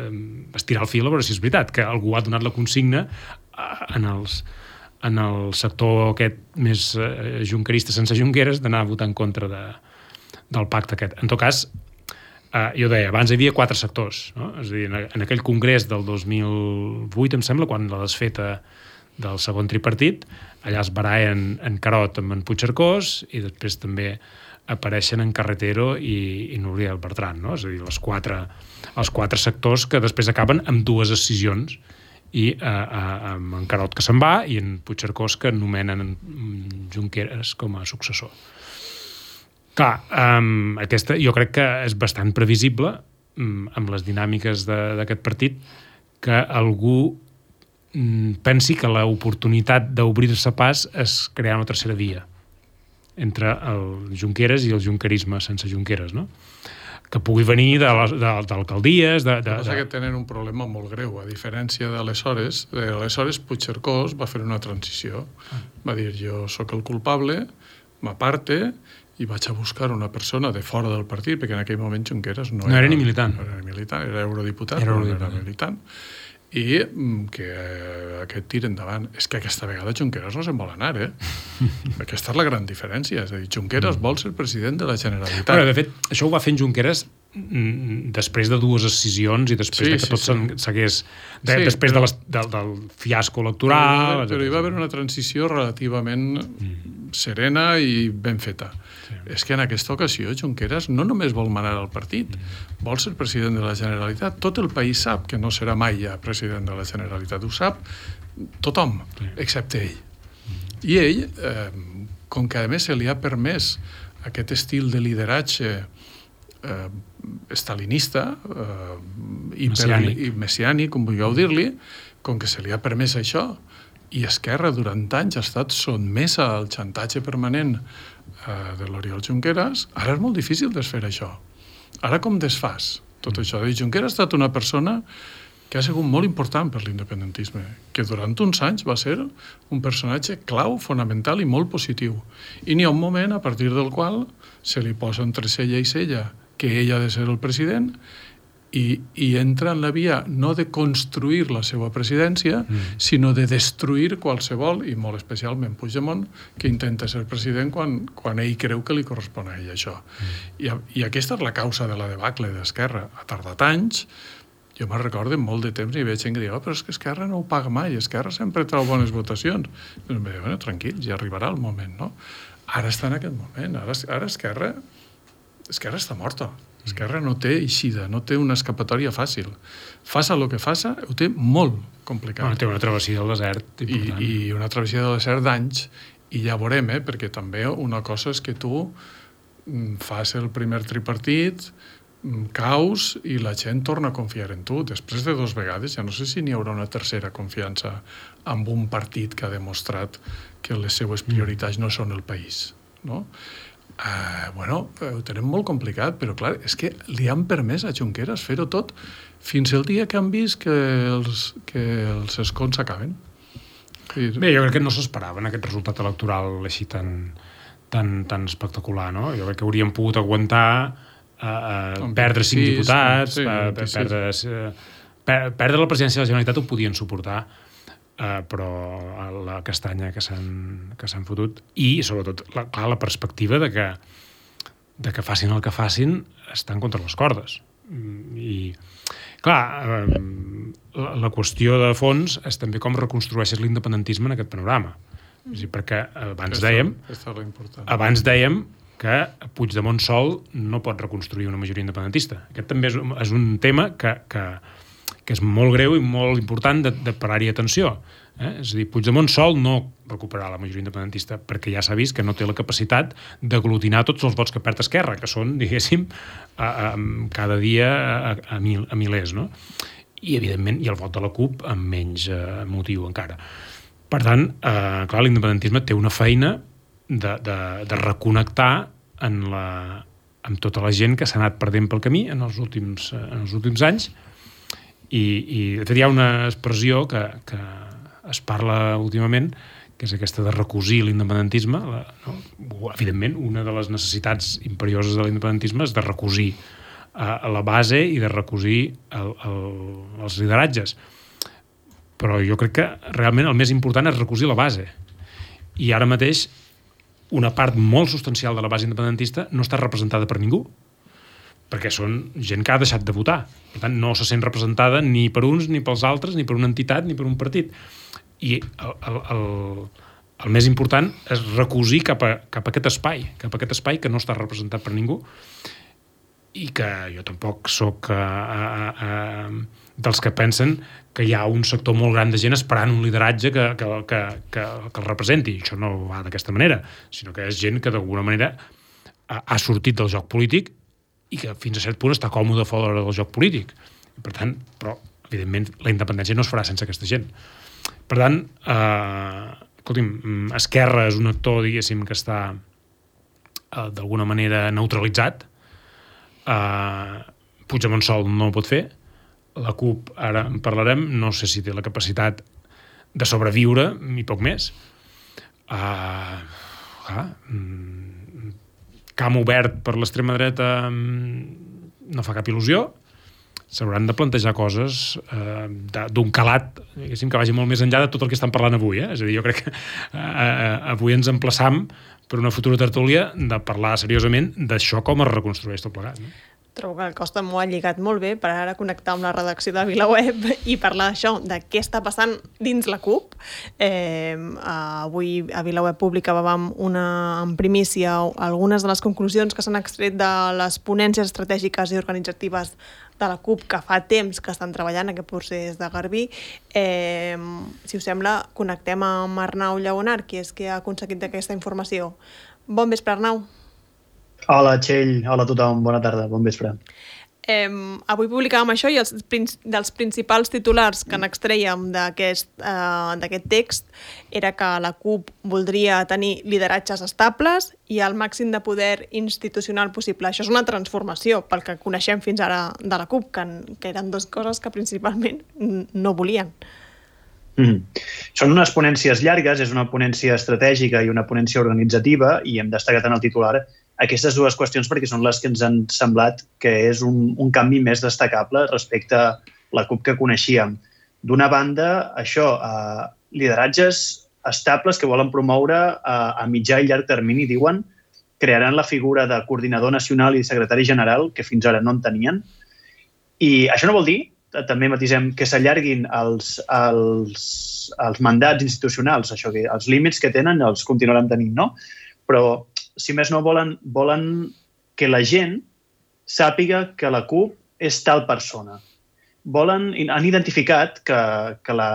estirar el fil a veure si és veritat, que algú ha donat la consigna en, els, en el sector aquest més eh, junquerista sense Junqueras d'anar a votar en contra de, del pacte aquest. En tot cas, Uh, jo deia, abans hi havia quatre sectors, no? És a dir, en, en aquell congrés del dos mil vuit, em sembla, quan la desfeta del segon tripartit, allà es barallen en Carot amb en Puigcercós i després també apareixen en Carretero i, i Núria Bertran, no? És a dir, les quatre, els quatre sectors que després acaben amb dues decisions i uh, uh, amb en Carot que se'n va i en Puigcercós que nomenen en Junqueras com a successor. Clar, um, aquesta jo crec que és bastant previsible um, amb les dinàmiques d'aquest partit que algú um, pensi que l'oportunitat d'obrir-se pas és crear una tercera via entre el Junqueras i el junquerisme sense Junqueras, no? Que pugui venir d'alcaldies... De, de, de, de... que tenen un problema molt greu. A diferència d'aleshores, aleshores Puigcercós va fer una transició. Va dir, jo sóc el culpable, m'aparte... i vaig a buscar una persona de fora del partit, perquè en aquell moment Junqueras no, no era, era ni militant. No era ni militant, era eurodiputat, era però no era militant. I que aquest tir endavant. És que aquesta vegada Junqueras no se'n vol anar, eh? Aquesta és la gran diferència. És a dir, Junqueras vol ser president de la Generalitat. Bueno, de fet, això ho va fent Junqueras després de dues decisions i després sí, de que sí, tot sí. s'hagués... De, sí, després però, de les, del, del fiasco electoral... Però, però hi va haver una transició relativament mm. serena i ben feta. Sí. És que en aquesta ocasió Junqueras no només vol manar al partit, mm. vol ser president de la Generalitat. Tot el país sap que no serà mai ja president de la Generalitat. Ho sap tothom, sí. excepte ell. Mm. I ell, eh, com que a més se li ha permès aquest estil de lideratge eh, estalinista eh, messiànic. i messiànic, com vulgueu dir-li, com que se li ha permès això i Esquerra durant anys ha estat sotmesa al xantatge permanent eh, de l'Oriol Junqueras, ara és molt difícil desfer això. Ara com desfàs tot mm. això? Junqueras ha estat una persona que ha sigut molt important per l'independentisme, que durant uns anys va ser un personatge clau, fonamental i molt positiu. I n'hi ha un moment a partir del qual se li posa entre cella i cella que ell ha de ser el president i, i entra en la via no de construir la seva presidència, mm. sinó de destruir qualsevol, i molt especialment Puigdemont, que intenta ser president quan, quan ell creu que li correspon a ell això. Mm. I, I aquesta és la causa de la debacle d'Esquerra. Ha tardat anys. Jo me'n recordo molt de temps i veig gent que diu, oh, però és que Esquerra no ho paga mai, Esquerra sempre treu bones votacions. I em diu, bueno, tranquil, ja arribarà el moment, no? Ara està en aquest moment, ara, ara Esquerra, Esquerra està morta. Esquerra no té eixida, no té una escapatòria fàcil. Faça el que faça, ho té molt complicat. Bueno, té una travessia del desert important. I, i una travessia del desert d'anys, i ja veurem, eh? Perquè també una cosa és que tu fas el primer tripartit, caus i la gent torna a confiar en tu. Després de dues vegades ja no sé si n'hi haurà una tercera confiança amb un partit que ha demostrat que les seues prioritats no són el país, no? Uh, bueno, ho tenem molt complicat, però clar, és que li han permès a Junqueras fer-ho tot fins el dia que han vist que els, que els escons s'acaben. Bé, jo crec que no s'esperaven aquest resultat electoral així tan, tan, tan espectacular, no? Jo crec que hauríem pogut aguantar uh, uh, perdre cinc sí, diputats, sí, uh, perdre, uh, per, perdre la presidència de la Generalitat ho podien suportar. Uh, però la castanya que s'han que s'han fotut i sobretot la, clar, la perspectiva de que, de que facin el que facin estan contra les cordes i clar um, la, la qüestió de fons és també com reconstrueixes l'independentisme en aquest panorama. És a dir, perquè abans dèiem abans dèiem que Puigdemont sol no pot reconstruir una majoria independentista. Aquest també és, és un tema que, que que és molt greu i molt important de, de parar-hi atenció. Eh? És a dir, Puigdemont sol no recuperarà la majoria independentista perquè ja s'ha vist que no té la capacitat d'aglutinar tots els vots que perd Esquerra, que són, diguéssim, a, a, cada dia a, a, mil, a milers, no? I, evidentment, i el vot de la CUP amb menys eh, motiu encara. Per tant, eh, clar, l'independentisme té una feina de, de, de reconnectar en la, amb tota la gent que s'ha anat perdent pel camí en els últims, en els últims anys. I, i de fet hi ha una expressió que, que es parla últimament, que és aquesta de recosir l'independentisme. La, no? Evidentment, una de les necessitats imperioses de l'independentisme és de recosir a, a la base i de recosir el, el, els lideratges. Però jo crec que realment el més important és recosir la base. I ara mateix una part molt substancial de la base independentista no està representada per ningú, perquè són gent que ha deixat de votar. Per tant, no se sent representada ni per uns, ni pels altres, ni per una entitat, ni per un partit. I el, el, el, el més important és recosir cap a, cap a aquest espai, cap a aquest espai que no està representat per ningú i que jo tampoc soc a, a, a, dels que pensen que hi ha un sector molt gran de gent esperant un lideratge que, que, que, que, que el representi. Això no va d'aquesta manera, sinó que és gent que d'alguna manera ha, ha sortit del joc polític i que fins a cert punt està còmode fora del joc polític. Per tant, però, evidentment, la independència no es farà sense aquesta gent. Per tant, eh, escolti'm, Esquerra és un actor, diguéssim, que està eh, d'alguna manera neutralitzat. Eh, Puigdemont sol no ho pot fer. La CUP, ara en parlarem, no sé si té la capacitat de sobreviure, ni poc més. Eh, ah, camp obert per l'extrema dreta no fa cap il·lusió. S'hauran de plantejar coses eh, d'un calat, diguéssim, que vagi molt més enllà de tot el que estan parlant avui. Eh? És a dir, jo crec que eh, avui ens emplaçam per una futura tertúlia de parlar seriosament d'això com es reconstrueix tot plegat. No? Trobo que el Costa m'ho ha lligat molt bé per ara connectar amb la redacció de VilaWeb i parlar d'això, de què està passant dins la CUP. Eh, avui a VilaWeb publicàvem una, en primícia algunes de les conclusions que s'han extret de les ponències estratègiques i organitzatives de la CUP que fa temps que estan treballant aquest procés de Garbí. Eh, si us sembla, connectem amb Arnau Lleonart, qui és qui ha aconseguit aquesta informació. Bon vespre, Arnau. Hola, Txell. Hola a tothom. Bona tarda. Bon vespre. Eh, avui publicàvem això i els dels principals titulars que n'extrèiem d'aquest eh, d'aquest text era que la CUP voldria tenir lideratges estables i el màxim de poder institucional possible. Això és una transformació pel que coneixem fins ara de la CUP, que, que eren dues coses que principalment no volien. Mm. Són unes ponències llargues, és una ponència estratègica i una ponència organitzativa, i hem destacat en el titular aquestes dues qüestions perquè són les que ens han semblat que és un, un canvi més destacable respecte a la CUP que coneixíem. D'una banda, això, eh, lideratges estables que volen promoure eh, a mitjà i llarg termini, diuen, crearan la figura de coordinador nacional i secretari general, que fins ara no en tenien. I això no vol dir, també matisem, que s'allarguin els, els, els mandats institucionals, això que els límits que tenen els continuaran tenint, no? Però si més no, volen, volen que la gent sàpiga que la CUP és tal persona. Volen, han identificat que, que la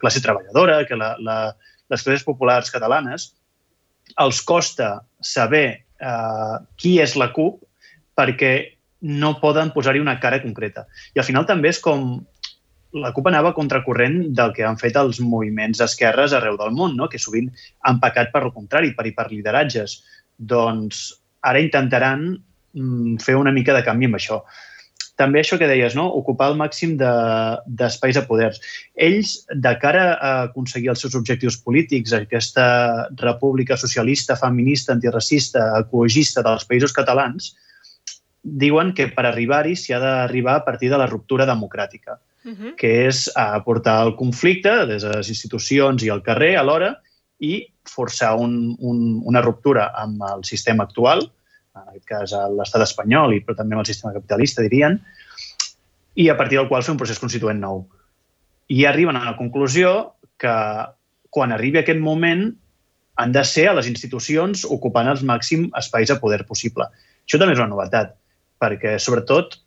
classe treballadora, que la, la, les classes populars catalanes, els costa saber eh, qui és la CUP perquè no poden posar-hi una cara concreta. I al final també és com la CUP anava contracorrent del que han fet els moviments d'esquerres arreu del món, no? Que sovint han pecat per el contrari, per, per lideratges. Doncs ara intentaran mm, fer una mica de canvi amb això. També això que deies, no? Ocupar el màxim d'espais de, de poders. Ells, de cara a aconseguir els seus objectius polítics, aquesta república socialista, feminista, antiracista, ecologista dels països catalans, diuen que per arribar-hi s'hi ha d'arribar a partir de la ruptura democràtica, uh-huh. que és aportar el conflicte des de les institucions i el carrer alhora i forçar un, un, una ruptura amb el sistema actual, en aquest cas l'estat espanyol, i però també amb el sistema capitalista, dirien, i a partir del qual fer un procés constituent nou. I arriben a la conclusió que quan arribi aquest moment han de ser a les institucions ocupant els màxims espais de poder possible. Això també és una novetat, perquè sobretot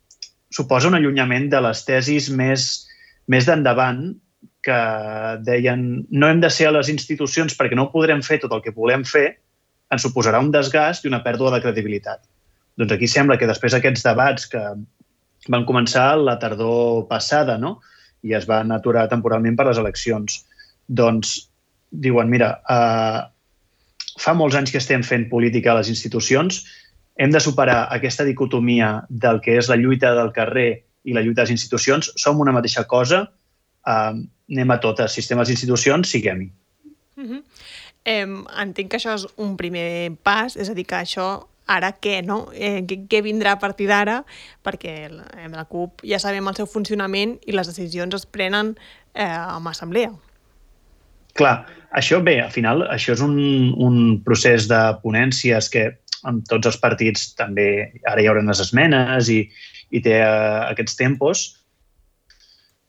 suposa un allunyament de les tesis més, més d'endavant que deien no hem de ser a les institucions perquè no ho podrem fer tot el que volem fer, ens suposarà un desgast i una pèrdua de credibilitat. Doncs aquí sembla que després d'aquests debats que van començar la tardor passada, no? I es van aturar temporalment per les eleccions, doncs diuen, mira, eh, fa molts anys que estem fent política a les institucions, hem de superar aquesta dicotomia del que és la lluita del carrer i la lluita de les institucions, som una mateixa cosa, eh, anem a totes, sistemes d'institucions, siguem-hi. Uh-huh. eh, entenc que això és un primer pas, és a dir, que això ara què, no? Eh, què, què vindrà a partir d'ara? Perquè la, la CUP ja sabem el seu funcionament i les decisions es prenen eh, amb assemblea. Clar, això bé, al final això és un, un procés de ponències que amb tots els partits també ara hi haurà les esmenes i, i té uh, aquests tempos.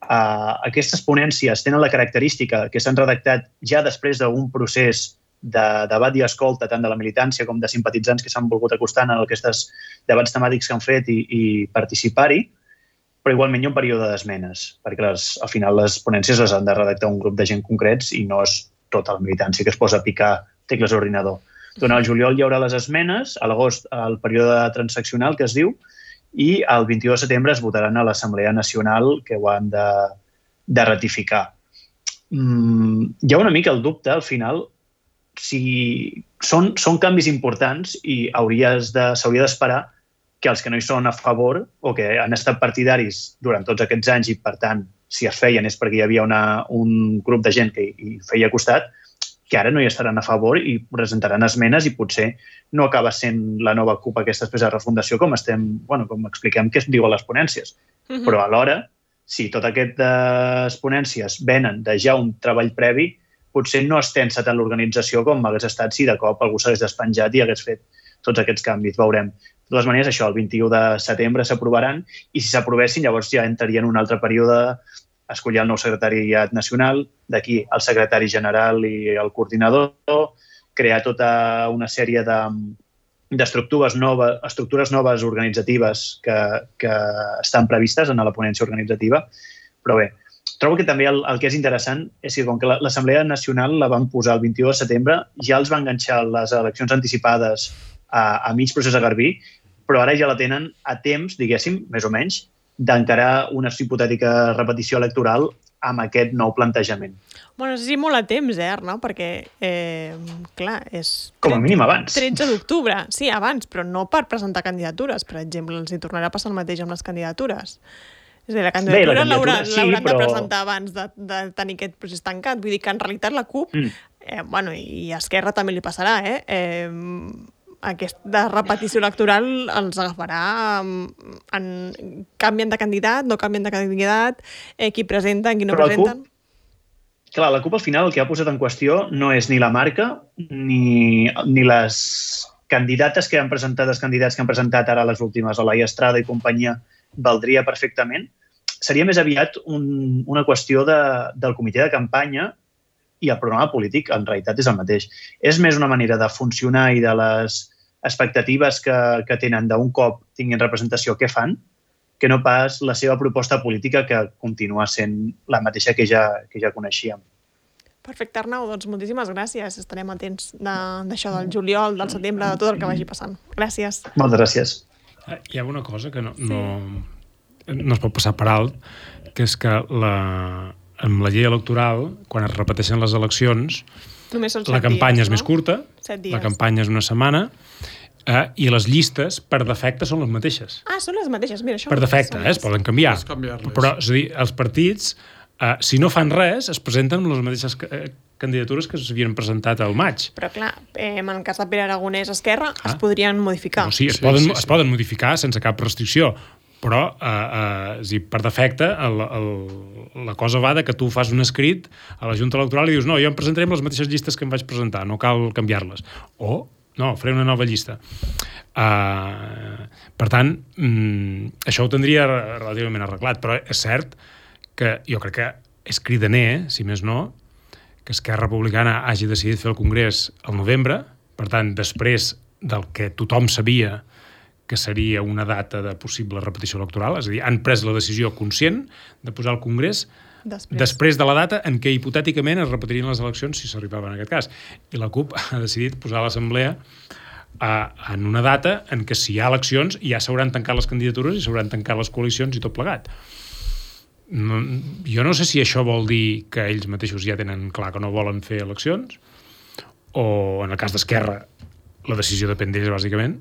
Uh, aquestes ponències tenen la característica que s'han redactat ja després d'un procés de debat i escolta tant de la militància com de simpatitzants que s'han volgut acostar en aquests debats temàtics que han fet i, i participar-hi, però igualment hi ha un període d'esmenes, perquè les, al final les ponències les han de redactar un grup de gent concrets i no és tota la militància que es posa a picar tecles d'ordinador. Durant el juliol hi haurà les esmenes, a l'agost el període transaccional que es diu, i el vint-i-u de setembre es votaran a l'Assemblea Nacional que ho han de, de ratificar. Mm, hi ha una mica el dubte, al final, si són, són canvis importants i hauries de, s'hauria d'esperar que els que no hi són a favor o que han estat partidaris durant tots aquests anys i, per tant, si es feien és perquè hi havia una, un grup de gent que hi feia costat, que ara no hi estaran a favor i presentaran esmenes i potser no acaba sent la nova CUP aquesta després de refundació com estem, bueno, com expliquem que es diu a les ponències. Uh-huh. Però alhora, si totes aquestes ponències venen de ja un treball previ, potser no es tensa tant l'organització com hagués estat si de cop algú s'hagués despenjat i hagués fet tots aquests canvis. Veurem. De totes maneres, això, el vint-i-u de setembre s'aprovaran i si s'aprovessin, llavors ja entraria en un altre període escollir el nou secretariat nacional, d'aquí el secretari general i el coordinador, crear tota una sèrie de, d'estructures noves, estructures noves organitzatives que, que estan previstes en la ponència organitzativa. Però bé, trobo que també el, el que és interessant és que com que l'Assemblea Nacional la van posar el vint-i-u de setembre, ja els van enganxar les eleccions anticipades a, a mig procés a Garbí, però ara ja la tenen a temps, diguéssim, més o menys, d'encarar una hipotètica repetició electoral amb aquest nou plantejament. Bueno, sí, molt a temps, eh, Arnau? Perquè, eh, clar, és... Com a mínim abans. tretze d'octubre, sí, abans, però no per presentar candidatures. Per exemple, els hi tornarà a passar el mateix amb les candidatures. És a dir, la candidatura, Bé, la candidatura l'hauran sí, però... de presentar abans de, de tenir aquest procés tancat. Vull dir que, en realitat, la CUP, mm. eh, bueno, i a Esquerra també li passarà, eh? eh aquesta repetició electoral els agafarà en, canvien de candidat, no canvien de candidat, eh, qui presenten, qui no Però presenten. CUP, clar, la CUP al final el que ha posat en qüestió no és ni la marca ni, ni les candidates que han presentat, els candidats que han presentat ara les últimes, Olaia Estrada i companyia, valdria perfectament. Seria més aviat un, una qüestió de, del comitè de campanya i el programa polític, en realitat, és el mateix. És més una manera de funcionar i de les expectatives que, que tenen d'un cop tinguin representació que fan, que no pas la seva proposta política que continua sent la mateixa que ja, que ja coneixíem. Perfecte, Arnau. Doncs moltíssimes gràcies. Estarem atents d'això del juliol, del setembre, de tot el que vagi passant. Gràcies. Moltes gràcies. Hi ha una cosa que no, no, no es pot passar per alt, que és que la... amb la llei electoral, quan es repeteixen les eleccions, la campanya dies, és no? més curta, la campanya és una setmana, eh, i les llistes, per defecte, són les mateixes. Ah, són les mateixes, mira, això... Per defecte, eh, es poden canviar. Però, és a dir, els partits, eh, si no fan res, es presenten amb les mateixes candidatures que s'havien presentat al maig. Però clar, eh, en el cas de Pere Aragonès Esquerra ah. es podrien modificar. No, sí, es, sí, poden, sí, sí. es poden modificar sense cap restricció, però eh, eh, és dir, per defecte el, el, la cosa va de que tu fas un escrit a la Junta Electoral i dius no, jo em presentaré amb les mateixes llistes que em vaig presentar, no cal canviar-les. O, no, faré una nova llista. Uh, per tant, mm, això ho tindria relativament arreglat, però és cert que jo crec que és cridaner, si més no, que Esquerra Republicana hagi decidit fer el Congrés al novembre, per tant, després del que tothom sabia que seria una data de possible repetició electoral, és a dir, han pres la decisió conscient de posar el Congrés després, després de la data en què hipotèticament es repetirien les eleccions si s'arribava en aquest cas. I la CUP ha decidit posar l'Assemblea a, en una data en què si hi ha eleccions ja s'hauran tancat les candidatures i s'hauran tancat les coalicions i tot plegat. No, jo no sé si això vol dir que ells mateixos ja tenen clar que no volen fer eleccions, o en el cas d'Esquerra la decisió depèn d'ells bàsicament,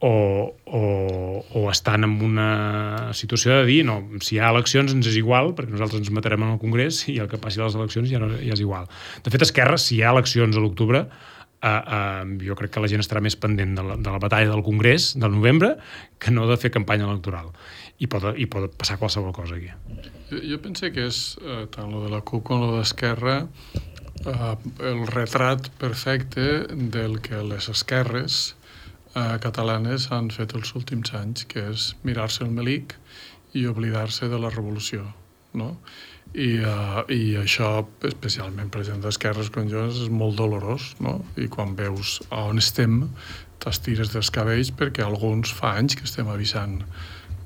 o, o, o estan en una situació de dir no, si hi ha eleccions ens és igual perquè nosaltres ens matarem en el Congrés i el que passi a les eleccions ja, no, ja és igual. De fet, Esquerra, si hi ha eleccions a l'octubre, eh, eh, jo crec que la gent estarà més pendent de la, de la batalla del Congrés del novembre que no de fer campanya electoral. I pot, i pot passar qualsevol cosa aquí. Jo, jo penso que és, eh, tant lo de la CUP com lo d'Esquerra, eh, el retrat perfecte del que les esquerres eh, catalanes han fet els últims anys, que és mirar-se el melic i oblidar-se de la revolució, no? I, uh, i això, especialment per gent d'esquerres com jo, és molt dolorós, no? I quan veus a on estem, t'estires dels cabells perquè alguns fa anys que estem avisant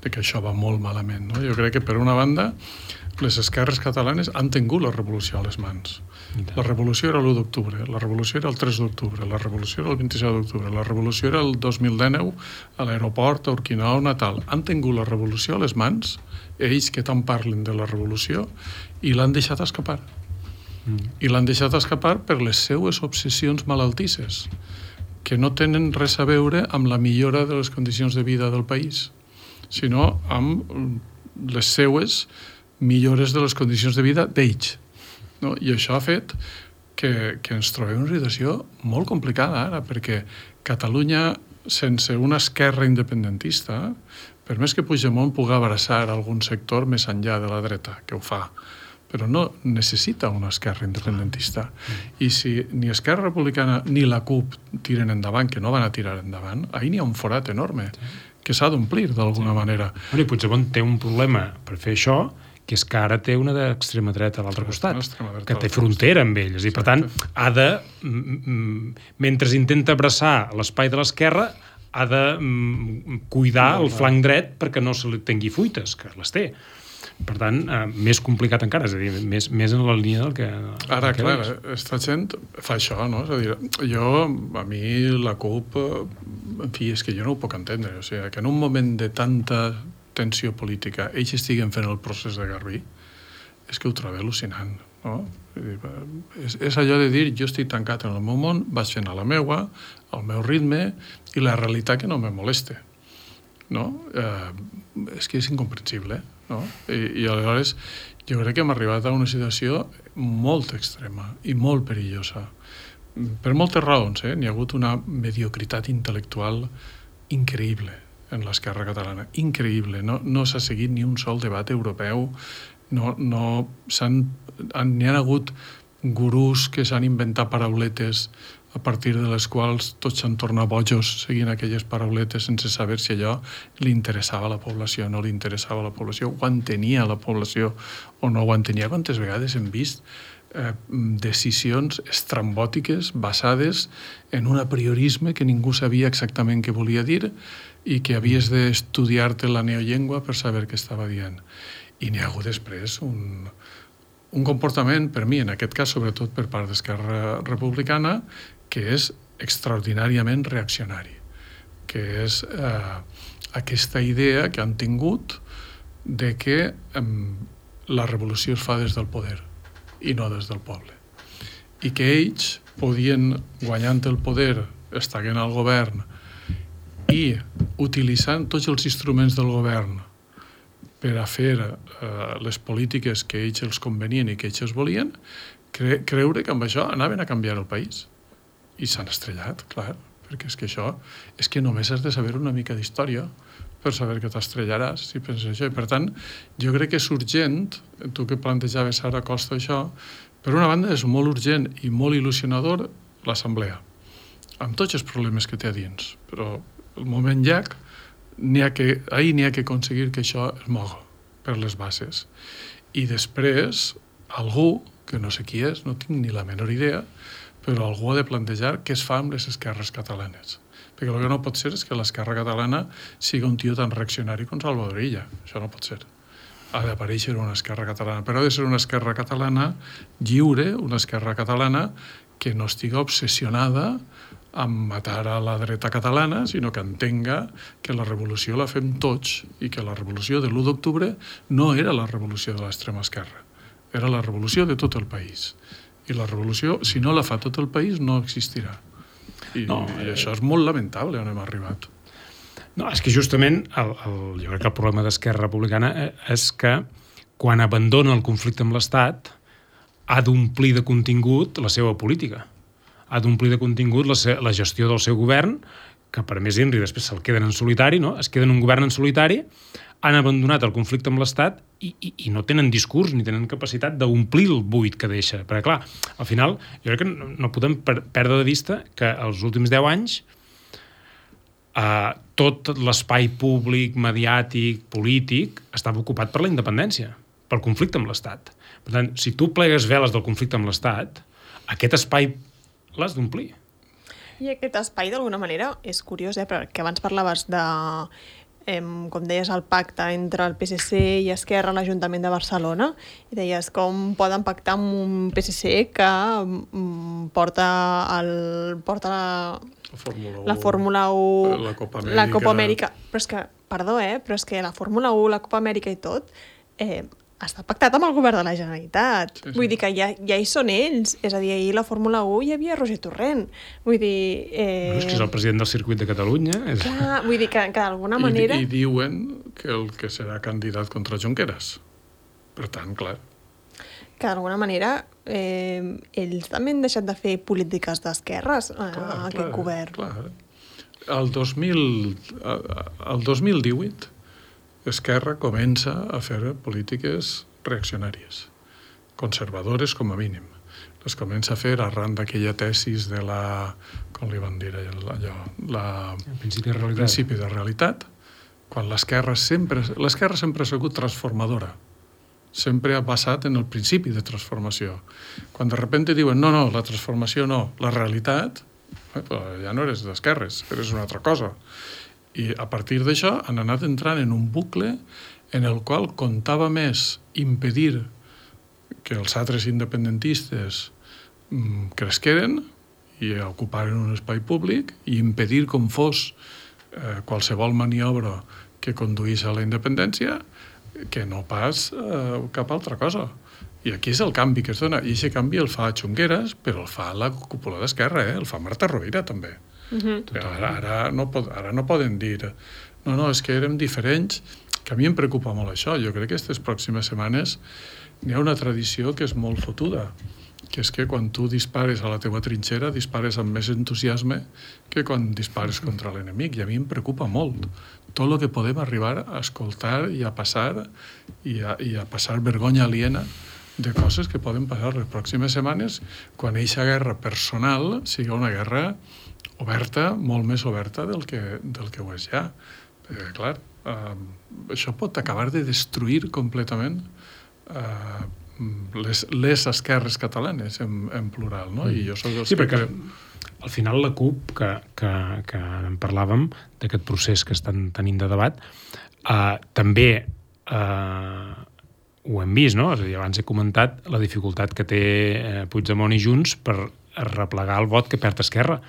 que això va molt malament, no? Jo crec que, per una banda, les esquerres catalanes han tingut la revolució a les mans. La revolució era l'u d'octubre, la revolució era el tres d'octubre, la revolució era el vint-i-set d'octubre, la revolució era el dos mil dinou a l'aeroport, a Urquinaona, Natal. Han tingut la revolució a les mans, ells que tant parlen de la revolució, i l'han deixat escapar. Mm. I l'han deixat escapar per les seues obsessions malaltisses, que no tenen res a veure amb la millora de les condicions de vida del país, sinó amb les seues millores de les condicions de vida d'ells. No? I això ha fet que, que ens trobem una situació molt complicada ara, perquè Catalunya, sense una esquerra independentista, per més que Puigdemont pugui abraçar algun sector més enllà de la dreta, que ho fa, però no necessita una esquerra independentista. I si ni Esquerra Republicana ni la CUP tiren endavant, que no van a tirar endavant, ahir n'hi ha un forat enorme que s'ha d'omplir d'alguna sí. manera. Bueno, i Puigdemont té un problema per fer això, que és que ara té una d'extrema dreta a l'altre costat, que té frontera amb ell. I, per tant, ha de, mentre intenta abraçar l'espai de l'esquerra, ha de cuidar el flanc dret perquè no se li tingui fuites, que les té. Per tant, eh, més complicat encara, és a dir, més, més en la línia del que... Ara, que clar, esta gent fa això, no? És a dir, jo, a mi, la CUP, en fi, és que jo no ho puc entendre. O sigui, que en un moment de tanta tensió política ells estiguen fent el procés de Garbí, és que ho trobo al·lucinant, no? És, és allò de dir, jo estic tancat en el meu món, vaig fent a la meua, al meu ritme, i la realitat que no me moleste, no? Eh, és que és incomprensible, no? I, i aleshores jo crec que hem arribat a una situació molt extrema i molt perillosa per moltes raons, eh? N'hi ha hagut una mediocritat intel·lectual increïble en l'esquerra catalana, increïble, no, no s'ha seguit ni un sol debat europeu, no, no s'han, n'hi ha hagut gurús que s'han inventat parauletes a partir de les quals tots s'han tornat bojos seguint aquelles parauletes sense saber si allò li interessava a la població o no li interessava a la població, ho entenia la població o no ho entenia. Quantes vegades hem vist eh, decisions estrambòtiques basades en un apriorisme que ningú sabia exactament què volia dir i que havies d'estudiar-te la neollengua per saber què estava dient. I n'hi ha hagut després un, un comportament, per mi, en aquest cas, sobretot per part d'Esquerra Republicana, que és extraordinàriament reaccionari, que és eh, aquesta idea que han tingut de que eh, la revolució es fa des del poder i no des del poble. I que ells podien, guanyant el poder, estant al govern i utilitzant tots els instruments del govern per a fer eh, les polítiques que ells els convenien i que ells els volien, cre creure que amb això anaven a canviar el país. I s'han estrellat, clar, perquè és que això, és que només has de saber una mica d'història per saber que t'estrellaràs, si penses això. I per tant, jo crec que és urgent, tu que plantejaves ara a Costa això, per una banda és molt urgent i molt il·lusionador l'assemblea, amb tots els problemes que té a dins, però el moment llac, n'hi ha que, ahir n'hi ha que aconseguir que això es moga per les bases. I després, algú, que no sé qui és, no tinc ni la menor idea, però algú ha de plantejar què es fa amb les esquerres catalanes. Perquè el que no pot ser és que l'esquerra catalana sigui un tio tan reaccionari com Salvador Illa. Això no pot ser. Ha d'aparèixer una esquerra catalana, però ha de ser una esquerra catalana lliure, una esquerra catalana que no estigui obsessionada amb matar a la dreta catalana, sinó que entenga que la revolució la fem tots i que la revolució de l'u d'octubre no era la revolució de l'extrema esquerra, era la revolució de tot el país. I la revolució, si no la fa tot el país, no existirà. I, no, i això és molt lamentable on hem arribat. No, és que justament el, el, jo crec que el problema d'Esquerra Republicana és que quan abandona el conflicte amb l'Estat ha d'omplir de contingut la seva política. Ha d'omplir de contingut la, la gestió del seu govern, que per més Inri després se'l queden en solitari, no? Es queden un govern en solitari, han abandonat el conflicte amb l'Estat i, i, i no tenen discurs ni tenen capacitat d'omplir el buit que deixa. Perquè, clar, al final, jo crec que no, no podem per, perdre de vista que els últims deu anys eh, tot l'espai públic, mediàtic, polític, estava ocupat per la independència, pel conflicte amb l'Estat. Per tant, si tu plegues veles del conflicte amb l'Estat, aquest espai l'has d'omplir. I aquest espai, d'alguna manera, és curiós, eh? Perquè abans parlaves de, eh, com deies, el pacte entre el P S C i Esquerra a l'Ajuntament de Barcelona, i deies com poden pactar amb un P S C que mm, porta, el, porta la, la Fórmula u, la Fórmula u, la Copa Amèrica. La Copa Amèrica. Però és que, perdó, eh? Però és que la Fórmula u, la Copa Amèrica i tot, eh, està pactat amb el govern de la Generalitat. Sí, sí. Vull dir que ja, ja hi són ells. És a dir, ahir la Fórmula u hi havia Roger Torrent. Vull dir... Eh... No, és que és el president del circuit de Catalunya. És... Clar, vull dir que, que d'alguna manera... I, I diuen que el que serà candidat contra Junqueras. Per tant, clar. Que d'alguna manera eh, ells també han deixat de fer polítiques d'esquerres a, clar, a aquest clar, govern. Clar. El dos mil, el dos mil divuit Esquerra comença a fer polítiques reaccionàries, conservadores com a mínim. Les comença a fer arran d'aquella tesis de la... com li van dir allò? La, el principi de realitat. principi de realitat, quan l'esquerra sempre, l'esquerra sempre ha sigut transformadora. Sempre ha basat en el principi de transformació. Quan de repente diuen no, no, la transformació no, la realitat, eh, ja no eres d'esquerres, eres una altra cosa. I a partir d'això han anat entrant en un bucle en el qual comptava més impedir que els altres independentistes mm, cresqueren i ocuparen un espai públic i impedir com fos eh, qualsevol maniobra que conduís a la independència que no pas eh, cap altra cosa. I aquí és el canvi que es dona. I aquest canvi el fa Junqueras, però el fa la cúpula d'Esquerra, eh? El fa Marta Rovira també. Uh-huh. Ara, ara, no pod, ara no poden dir no, no, és que érem diferents, que a mi em preocupa molt això. Jo crec que aquestes pròximes setmanes n'hi ha una tradició que és molt fotuda, que és que quan tu dispares a la teva trinxera dispares amb més entusiasme que quan dispares contra l'enemic, i a mi em preocupa molt tot el que podem arribar a escoltar i a passar i a, i a passar vergonya aliena de coses que poden passar les pròximes setmanes quan eixa guerra personal sigui una guerra oberta, molt més oberta del que, del que ho és ja. Perquè, clar, eh, això pot acabar de destruir completament eh, les, les esquerres catalanes en, en plural, no? I jo soc dels sí, que... perquè al final la CUP, que, que, que en parlàvem, d'aquest procés que estan tenint de debat, eh, també eh, ho hem vist, no? És a dir, abans he comentat la dificultat que té eh, Puigdemont i Junts per replegar el vot que perd Esquerra.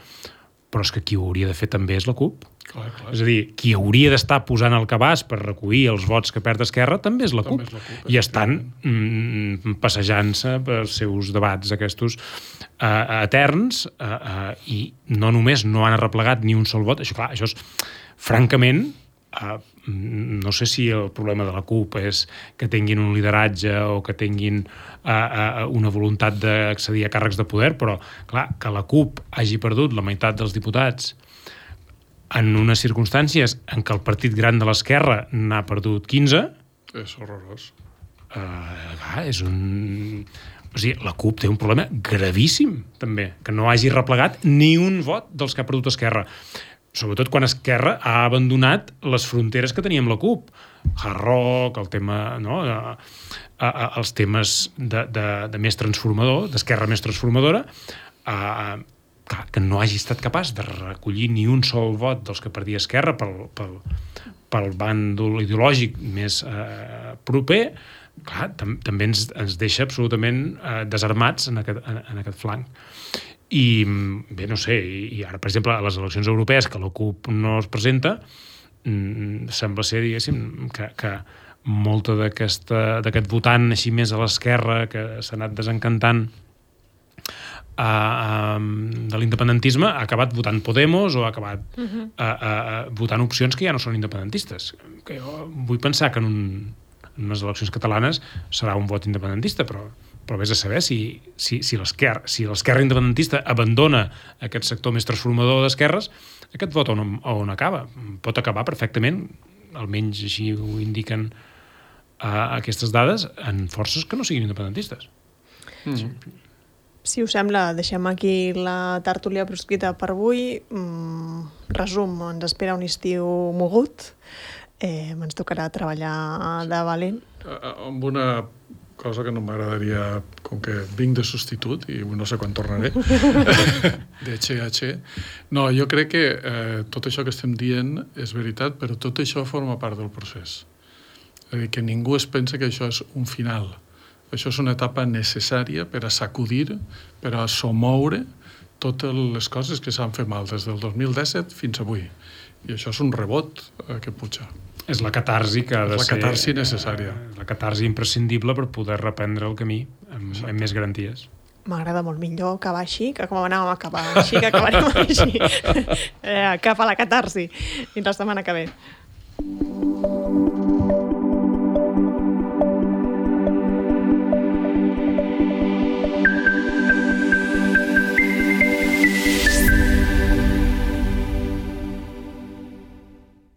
Però és que qui ho hauria de fer també és la CUP. Clar, clar. És a dir, qui hauria d'estar posant el cabàs per recollir els vots que perd Esquerra també és la CUP. És la CUP I estan mm, passejant-se pels seus debats aquests uh, eterns uh, uh, i no només no han arreplegat ni un sol vot, això clar, això és francament Uh, no sé si el problema de la CUP és que tinguin un lideratge o que tinguin uh, uh, una voluntat d'accedir a càrrecs de poder, però clar, que la CUP hagi perdut la meitat dels diputats en unes circumstàncies en què el partit gran de l'esquerra n'ha perdut quinze... És horrorós. Uh, clar, és un... O sigui, la CUP té un problema gravíssim, també, que no hagi replegat ni un vot dels que ha perdut Esquerra. Sobretot quan Esquerra ha abandonat les fronteres que tenia amb la CUP. Hard Rock, el tema, no? a, a, a, els temes de, de, de més transformador, d'Esquerra més transformadora, a, a, que no hagi estat capaç de recollir ni un sol vot dels que perdia Esquerra pel, pel, pel bàndol ideològic més eh, proper, clar, tam, també ens, ens deixa absolutament eh, desarmats en aquest, en, en aquest flanc. I bé, no sé, i ara, per exemple, a les eleccions europees, que la CUP no es presenta, mmm, sembla ser, diguéssim, que, que molta d'aquest votant així més a l'esquerra que s'ha anat desencantant uh, um, de l'independentisme ha acabat votant Podemos o ha acabat uh-huh. uh, uh, votant opcions que ja no són independentistes. Que jo vull pensar que en, un, en unes eleccions catalanes serà un vot independentista, però però vés a saber si, si, si l'esquerra si l'esquerra independentista abandona aquest sector més transformador d'esquerres, aquest vot on, on acaba? Pot acabar perfectament, almenys així ho indiquen uh, aquestes dades, en forces que no siguin independentistes. Mm. Si us sembla, deixem aquí la tertúlia proscrita per avui. Mm, resum, ens espera un estiu mogut. Eh, ens tocarà treballar de valent. Amb una cosa que no m'agradaria, com que vinc de substitut i no sé quan tornaré, de H H. No, jo crec que eh, tot això que estem dient és veritat, però tot això forma part del procés. És a dir, que ningú es pensa que això és un final. Això és una etapa necessària per a sacudir, per a somoure totes les coses que s'han fet mal des del dos mil disset fins avui. I això és un rebot eh, que puja. És la catarsi que ha de la ser... La catarsi necessària. La catarsi imprescindible per poder reprendre el camí amb, amb més garanties. M'agrada molt millor acabar així que com anàvem a acabar així, que acabarem així. eh, cap a la catarsi. Fins la setmana que ve.